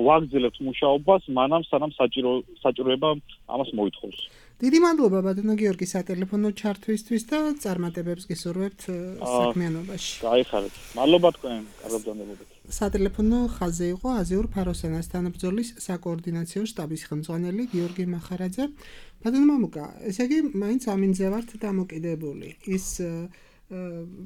ვაგრძელებთ მუშაობას, მანამ სანამ საჭირო საჭიროება ამას მოითხოვს. დიდი მადლობა ბატონო გიორგი სატელეფონო ჩართვისთვის და წარმატებებს გისურვებთ საქმიანობაში. გაიხარეთ. მადლობა თქვენ, კარგად ბრძანებოდეთ. სატელეფონო ხაზზე იყო აზიურ ფაროსანასთან ბრძოლის საკოორდინაციო შტაბის ხელმძღვანელი გიორგი მახარაძე. ბატონო მამუკა, ესე იგი მაინც ამინდზე ვართ დამოკიდებული. ის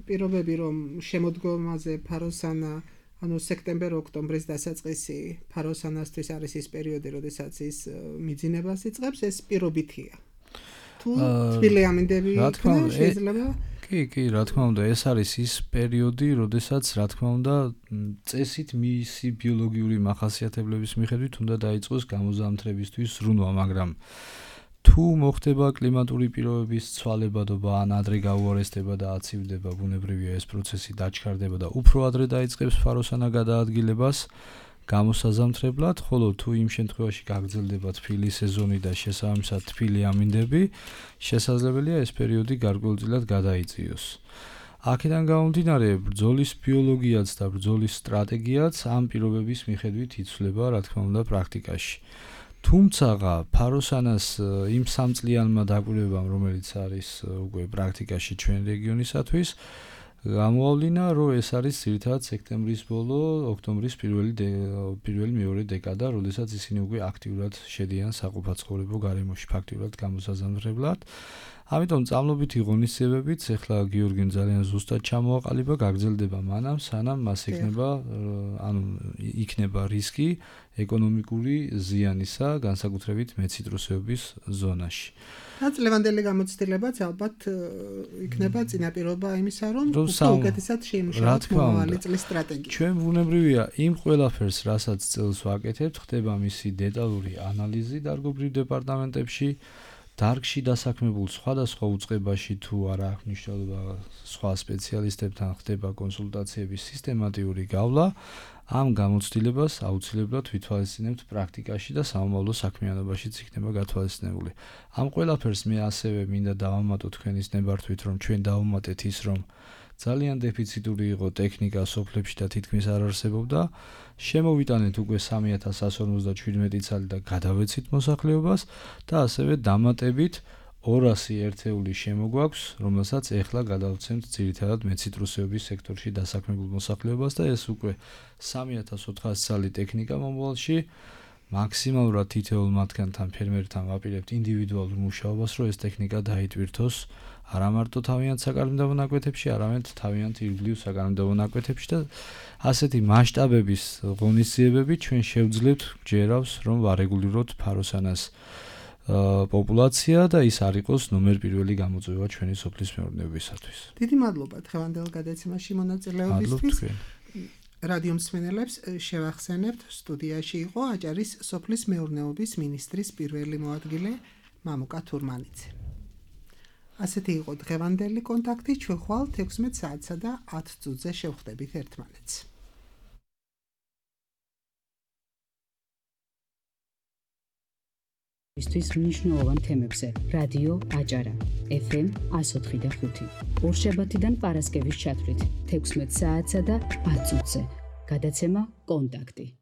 პირობები, რომ შემოდგომაზე ფაროსანა ანუ სექტემბერ-ოქტომბრის დასაწყისი ფაროსანასთვის არის ის პერიოდი, როდესაც ის მიძინებას იწყებს, ეს პირობითია. თუ თბილი ამინდები იქნება, შეიძლება? კი, კი, რა თქმა უნდა, ეს არის ის პერიოდი, როდესაც რა თქმა უნდა, წესით მისი ბიოლოგიური მახასიათებლების მიხედვით უნდა დაიწყოს გამოზამთრებისთვის ზრუნვა, მაგრამ თუ მოხდება კლიმატური პირობების ცვალებადობა ან ადრე გაუარესდება და აცივდება, ბუნებრივია ეს პროცესი დაჩქარდება და უფრო ადრე დაიწყებს ფაროსანა გადაადგილებას გამოსაზამთრებლად, ხოლო თუ იმ შემთხვევაში გაგრძელდება თბილი სეზონი და შესაბამისად თბილი ამინდები, შესაძლებელია ეს პერიოდი გარკვეულწილად გადაიწიოს. აქედან გამომდინარე, ბრძოლის ბიოლოგიაც და ბრძოლის სტრატეგიაც ამ პირობების მიხედვით იცვლება, რა თქმა უნდა, პრაქტიკაში. თუმცა, ფაროსანას იმ სამწლიანმა დაკვირვებამ, რომელიც არის უკვე პრაქტიკაში ჩვენ რეგიონისათვის, გამოავლინა, რომ ეს არის ძირითადად სექტემბრის ბოლო, ოქტომბრის პირველი პირველი მეორე დეკადა, როდესაც ისინი უკვე აქტიურად შედიან საყოფაცხოვრებო გარემოში, ფაქტიურად გამოსაზამთრებლად. ამიტომ წამლობითი ღონისძიებებიც ახლა გიორგიმ ძალიან ზუსტად ჩამოაყალიბა, გაგრძელდება მანამ, სანამ მას იქნება, ანუ იქნება რისკი ეკონომიკური ზიანისა, განსაკუთრებით მეციტრუსეობის ზონაში. რაც ლევანდელი გამოცდილებაც ალბათ იქნება წინაპირობა იმისა, რომ უკეთესად შეიმუშავოთ მომავალი წლის სტრატეგია. ჩვენ ბუნებრივია იმ ყველაფერს, რასაც წელს ვაკეთებთ, ხდება მისი დეტალური ანალიზი დარგობრივ დეპარტამენტებში. დარგში დასაქმებულ სხვადასხვა უწყებაში თუ არა აქვს მნიშვნელობა სხვა სპეციალისტებთან ხდება კონსულტაციების სისტემატიური გავლა, ამ გამოცდილებას აუცილებლად ვითვალისწინებთ პრაქტიკაში და სამომავლო საქმიანობაშიც იქნება გათვალისწინებული. ამ ყველაფერს მე ასევე მინდა დავამატო თქვენის ნებართვით, რომ ჩვენ დავუმატეთ ის, რომ ძალიან დეფიციტური იყო ტექნიკა სოფლებში და თითქმის არ არსებობდა. შემოვიტანეთ უკვე სამი ათას ასი ორმოცდაშვიდმეტი ცალი და გადავეცით მოსახლეობას და ასევე დამატებით ორასი ერთეული შემოგვაქვს, რომელსაც ეხლა გადავცემთ ძირითადად მეციტრუსეობის სექტორში დასაქმებულ მოსახლეობას და ეს უკვე სამი ათას ოთხასი ცალი ტექნიკა მომავალში მაქსიმალურად თითოეულ მათგანთან ფერმერთან ვაპირებთ ინდივიდუალურ მუშაობას, რომ ეს ტექნიკა დაიტვირთოს არა მარტო თავიანთ საკანონმდებლო ნაკვეთებში, არამედ თავიანთ ირგვლივ საკანონმდებლო ნაკვეთებში და ასეთი მასშტაბების ღონისძიებები ჩვენ შევძლებთ ჯერავს, რომ ვარეგულიროთ ფაროსანას პოპულაცია და ის არ იყოს ნომერ პირველი გამოწვევა ჩვენი სოფლის მეურნეობისათვის. დიდი მადლობა დღევანდელ გადაცემაში მონაწილეობისთვის. რადიო მსმენელებს შევახსენებთ, სტუდიაში იყო აჭარის სოფლის მეურნეობის მინისტრის პირველი მოადგილე მამუკა თურმანიძე. ასეთი იყო დღევანდელი კონტაქტი, ჩვენ ხვალ ექვსმეტ საათსა და ათ წუთზე შევხვდებით ერთმანეთს. ისთვის მნიშვნელოვან თემებზე რადიო აჭარა ეფ ემ εκατო ოთხი და ხუთი ორშაბათიდან პარასკევის ჩათვლით ექვსმეტ საათსა და ათ წუთზე გადაცემა კონტაქტი.